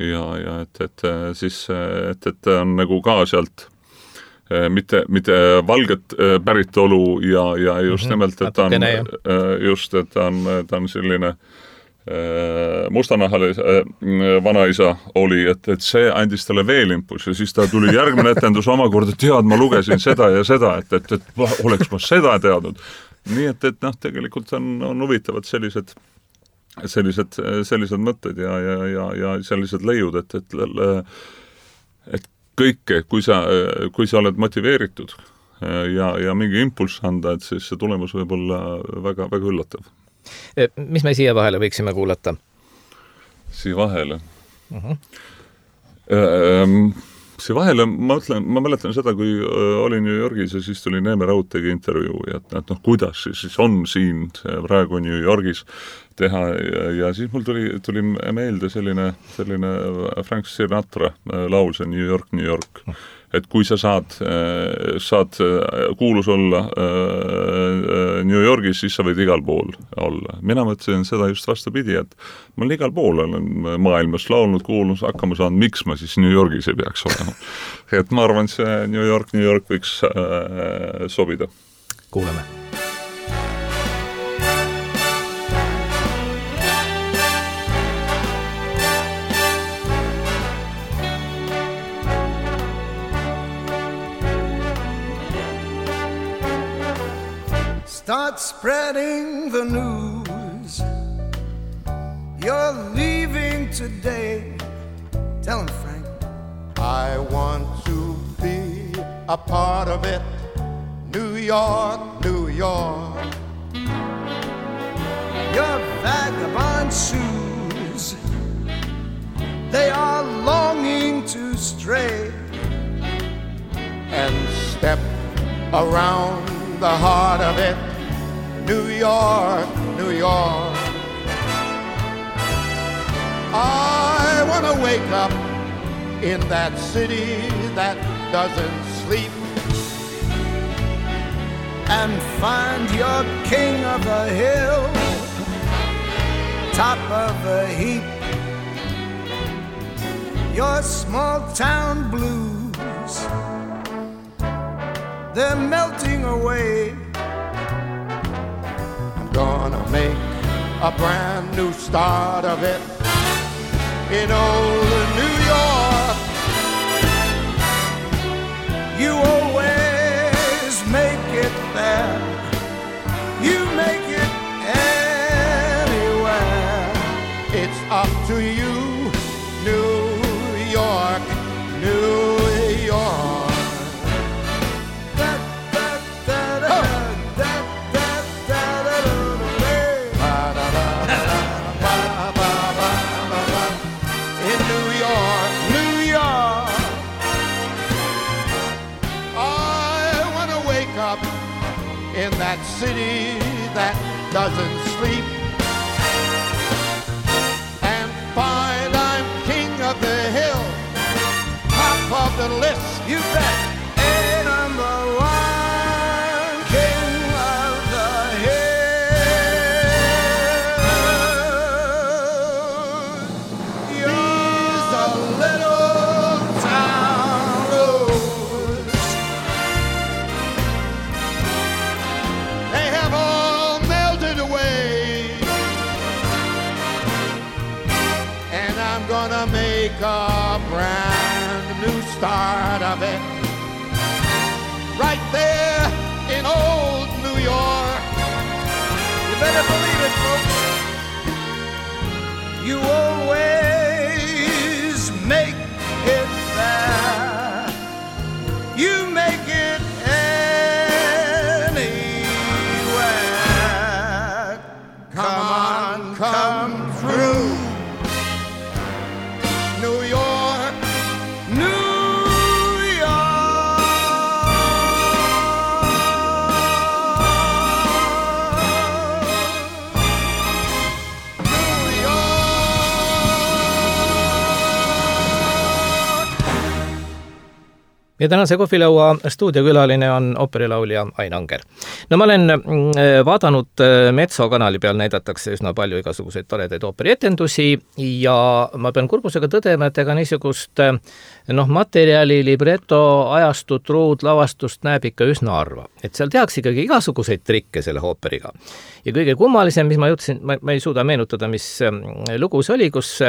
Ja et ta on nagu ka sealt mitte valget päritolu ja just nimelt, et ta on selline mustanahale vanaisa oli, et see andis talle veel impulsi ja siis ta tuli järgmine etendus omakorda, ma lugesin seda ja seda, et oleks ma seda teadnud. Nii et noh, tegelikult on huvitavad sellised mõtted ja sellised leiud, et kõike, kui sa oled motiveeritud ja mingi impulss anda, et siis see tulemus võib olla väga, väga üllatav. Mis me siia vahele võiksime kuulata? Siia vahele? See vahele, ma mäletan seda, kui olin New Yorgis ja siis tuli Neeme Raudteegi intervjuu ja et kuidas siis on siin praegu New Yorgis teha ja siis mul tuli meelde selline Frank Sinatra laul, see New York, New York. Et kui sa saad kuulus olla New Yorgis, siis sa võid igal pool olla. Mina mõtlesin seda just vastupidi, et ma olen igal pool olen maailmas laulnud, kuulnud, hakkama saanud, miks ma siis New Yorgis ei peaks olema. Et ma arvan, see New York võiks sobida. Kuuleme. Start spreading the news. You're leaving today. Tell him, Frank. I want to be a part of it. New York, New York. Your vagabond shoes, they are longing to stray and step around the heart of it. New York, New York. I want to wake up in that city that doesn't sleep and find your king of the hill, top of the heap. Your small town blues, they're melting away. Gonna make a brand new start of it in old New York. You always make it there. You make it anywhere. It's up to you, New York, New York. In that city that doesn't sleep and find I'm king of the hill, top of the list. You bet. A number one king of the hill. You're a little town rose. They have all melted away, and I'm gonna make a brand new start of it right there in old New York. You better believe it, folks. You always make it there. You make it anywhere. Come on, come through. New York, New York. Ja tänase kohvilaua stuudiokülaline on ooperilaulja Ain Anger. No ma olen vaadanud Metso kanali peal näidatakse üsna palju igasuguseid toredaid ooperietendusi ja ma pean kurbusega tõdema, et ega niisugust materjali, libretto, ajastut, ruud, lavastust näeb ikka üsna harva. Et seal tehakse ikkagi igasuguseid trikke selle ooperiga. Ja kõige kummalisem, mis ma jutsin, ma ei suuda meenutada, mis lugu see oli, kus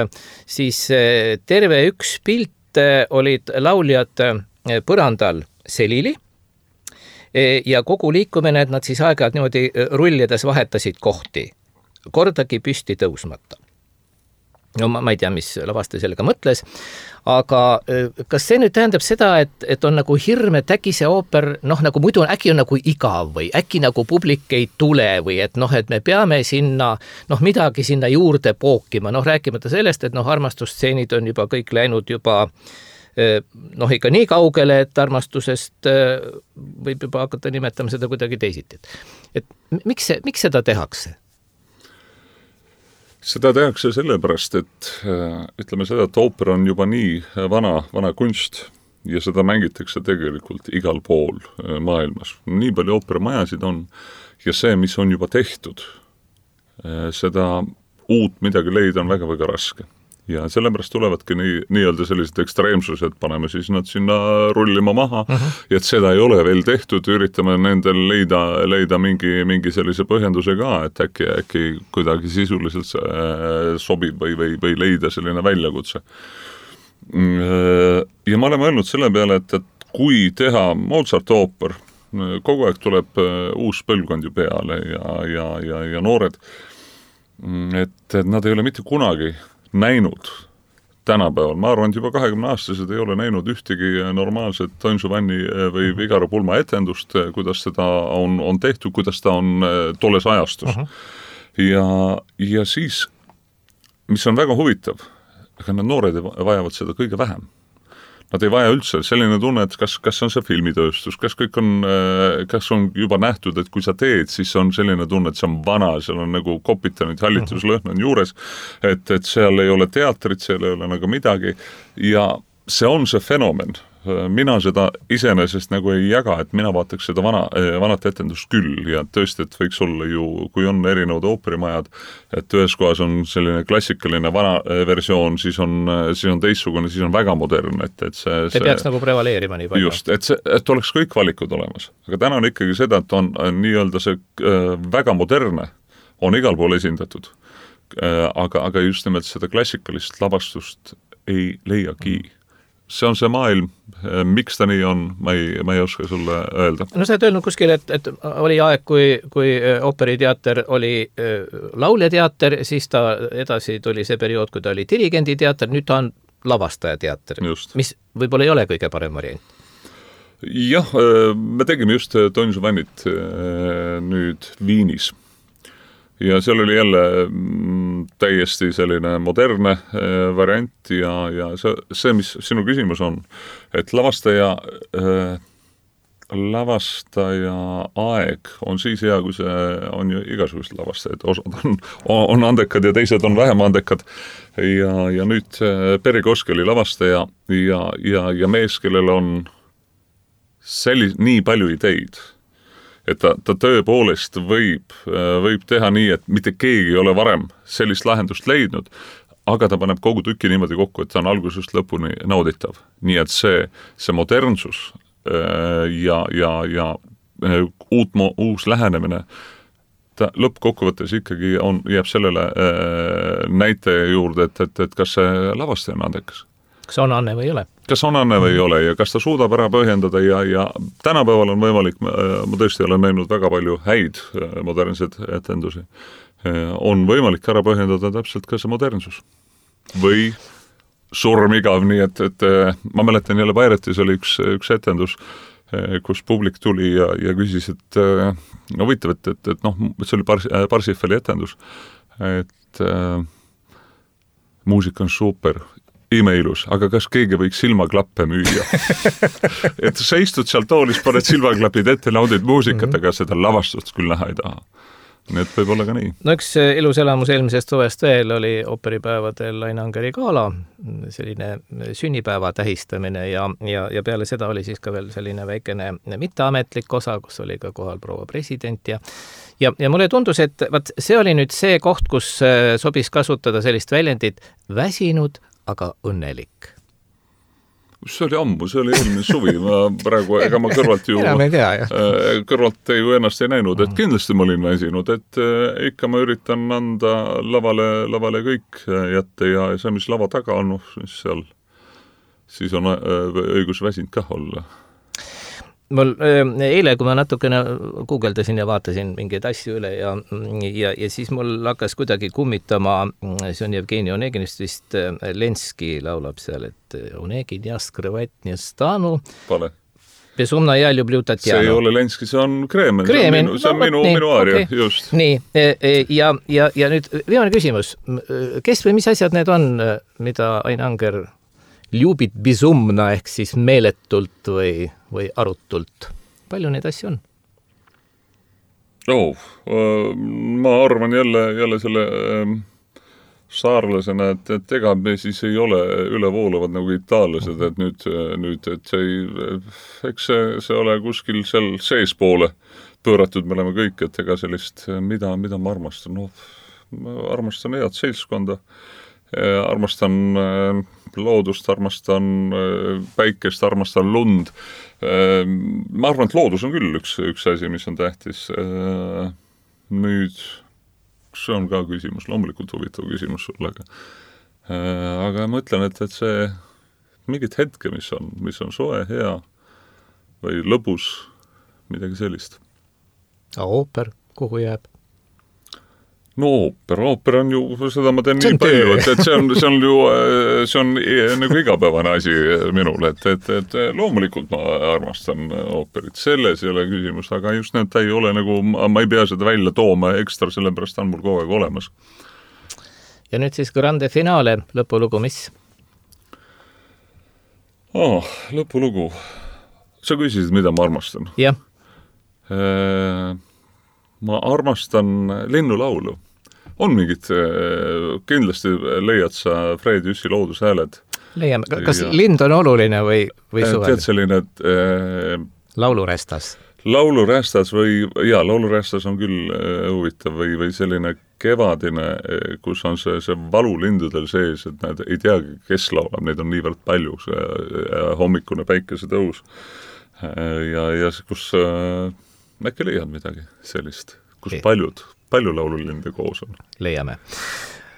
siis terve üks pilt olid lauljad põrandal selili ja kogu liikumine, et nad siis aeg-ajalt niimoodi rullides vahetasid kohti, kordagi püsti tõusmata. No ma ei tea, mis lavastaja sellega mõtles, aga kas see nüüd tähendab seda, et on nagu hirm, et äkki see ooper, nagu muidu äkki on nagu igav või äkki nagu publik ei tule või et et me peame sinna, midagi sinna juurde pookima, rääkimata sellest, et armastusstseenid on juba kõik läinud juba ikka nii kaugele, et armastusest võib juba hakata nimetama seda kuidagi teisiti. Et miks seda tehakse? Seda tehakse sellepärast, et ütleme seda, et ooper on juba nii vana kunst ja seda mängitakse tegelikult igal pool maailmas. Nii palju ooperimajasid on ja see, mis on juba tehtud, seda uut midagi leida on väga-väga raske. Ja sellepärast tulevadki nii-öelda sellised ekstreemsused, paneme siis nad sinna rullima maha, ja et seda ei ole veel tehtud, üritame nendel leida mingi sellise põhjenduse ka, et äkki kuidagi sisuliselt sobib või leida selline väljakutse. Ja me oleme öelnud selle peale, et kui teha Mozart ooper, kogu aeg tuleb uus põlvkond ju peale ja noored, et nad ei ole mitte kunagi näinud tänapäeval. Ma arvan, et juba 20-aastased ei ole näinud ühtegi normaalset Don Giovanni või Figaro pulma etendust, kuidas seda on tehtud, kuidas ta on tolles ajastus. Ja siis, mis on väga huvitav, aga need noored vajavad seda kõige vähem. Nad ei vaja üldse selline tunne, et kas on see filmitööstus, kas on juba nähtud, et kui sa teed, siis on selline tunne, et see on vana, seal on nagu kopitanud hallituslõhn on juures, et seal ei ole teatrit, seal ei ole nagu midagi ja see on see fenomen. Mina seda iseenesest nagu ei jaga, et mina vaataks seda vanat etendust küll ja tõesti, et võiks olla ju, kui on erinevad ooperimajad, et ühes kohas on selline klassikaline vana versioon, siis on teistsugune, siis on väga modernne, et see peaks nagu prevaleerima nii palju. Just, et oleks kõik valikud olemas. Aga täna on ikkagi seda, et on nii-öelda see väga moderne, on igal pool esindatud. Aga just nimelt seda klassikalist lavastust ei leiagi. See on see maailm, miks ta nii on, ma ei oska sulle öelda. No sa oled öelnud kuskil, et oli aeg, kui ooperiteater oli lauljateater, siis ta edasi tuli see periood, kui ta oli dirigenditeater, nüüd ta on lavastajateater, mis võib-olla ei ole kõige parem variant. Jah, me tegime just Don Giovannit nüüd Viinis. Ja seal oli jälle täiesti selline moderne variant ja see, mis sinu küsimus on, et lavastaja aeg on siis hea, kui see on ju igasugused lavastajad, osad on andekad ja teised on vähem andekad ja nüüd Perry Koski oli lavastaja ja mees, kellel on nii palju ideid, et ta tõepoolest võib teha nii, et mitte keegi ei ole varem sellist lahendust leidnud, aga ta paneb kogu tüki niimoodi kokku, et ta on algusest lõpuni nauditav. Nii et see modernsus ja uus lähenemine, ta lõppkokkuvõttes ikkagi jääb sellele näite juurde, et kas see lavastaja on andekas. Kas on anne või ei ole? Kas on anne või ei ole ja kas ta suudab ära põhjendada ja tänapäeval on võimalik, ma tõesti olen näinud väga palju häid modernseid etendusi, on võimalik ära põhjendada täpselt ka see modernsus. Või surmigav, nii et ma mäletan jälle Pairetis oli üks etendus, kus publik tuli ja küsis, et huvitav, et see oli Parsifali etendus, et muusika on super, imeilus, aga kas keegi võiks silmaklappe müüa? Et sa istud seal toolis, paned silmaklapid ette, naudid muusikat, aga seda lavastust küll näha ei taha. Nii et võib olla ka nii. No üks ilus elamus eelmisest suvest veel oli ooperipäevadel Laine Angeri gala, selline sünnipäeva tähistamine ja peale seda oli siis ka veel selline väikene mitteametlik osa, kus oli ka kohal proua president ja mulle tundus, et see oli nüüd see koht, kus sobis kasutada sellist väljendit väsinud, aga õnnelik. See oli ammu, see oli eelmine suvi, ma praegu, ega ma kõrvalt ju ennast ei näinud, et kindlasti ma olin väsinud, et ikka ma üritan anda lavale kõik jätta ja see, mis lava taga on, siis on õigus väsinud kah olla. mul eile, kui ma natukene guugeldasin ja vaatasin mingeid asju üle ja siis mul hakkas kuidagi kummitama, see on Jevgeni Oneginist vist, Lenski laulab seal, et Onegin ja skrevat nie stanu. Pale. Besumna ja люблю Tatjana. See ei ole Lenski, see on Kreemen. See on minu aaria, okay. Just. Nii, ja nüüd viimane küsimus. Kes või mis asjad need on, mida Ain Anger ljubit besumna ehk siis meeletult või arutult? Palju neid asju on? Ma arvan jälle selle saarlasena, et ega me siis ei ole ülevoolavad nagu itaallased, et nüüd et eks see ole kuskil seal seespoole pööratud, me oleme kõik, et ega sellist, mida ma armastan? Ma armastan head seltskonda, armastan loodust, armastan päikest, armastan lund. Ma arvan, et loodus on küll üks asi, mis on tähtis. Nüüd see on ka küsimus, loomulikult huvitav küsimus sulle, aga ma ütlen, et see mingit hetke, mis on soe, hea või lõbus, midagi sellist. Ooper, kuhu jääb? No ooper on ju, seda ma teen nii palju, et see on nagu igapäevane asi minul, et loomulikult ma armastan ooperit, selles ei ole küsimus, aga just need ei ole nagu, ma ei pea seda välja tooma ekstra, sellepärast on mul kogu aeg olemas. Ja nüüd siis grande finale, lõpulugu, mis? Lõpulugu. Sa küsisid, mida ma armastan? Jah. Ma armastan linnulaulu. On mingid, kindlasti leiad sa Fred Jüssi loodushääled. Leiame. Kas lind on oluline või suvel? Tead selline, laulurästas. Laulurästas laulurästas on küll huvitav või selline kevadine, kus on see valu lindudel sees, et nad ei teagi, kes laulab, neid on niivõrd palju, see hommikune päikesetõus. Ja kus äkki leiad midagi sellist, kus palju laululinde koos on. Leiame.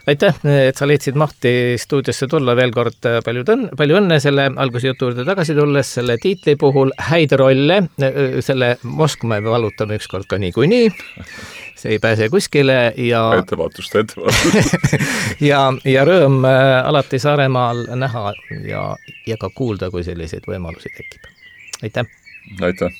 Aitäh, et sa leidsid mahti stuudiosse tulla veel kord. Palju õnne selle algusjutu juurde tagasi tulles, selle tiitli puhul häid rolle, selle Moskva me valutame ükskord ka nii. See ei pääse kuskile ja ettevaatust. ja rõõm alati Saaremaal näha ja ka kuulda, kui selliseid võimalusi tekib. Aitäh! Aitäh!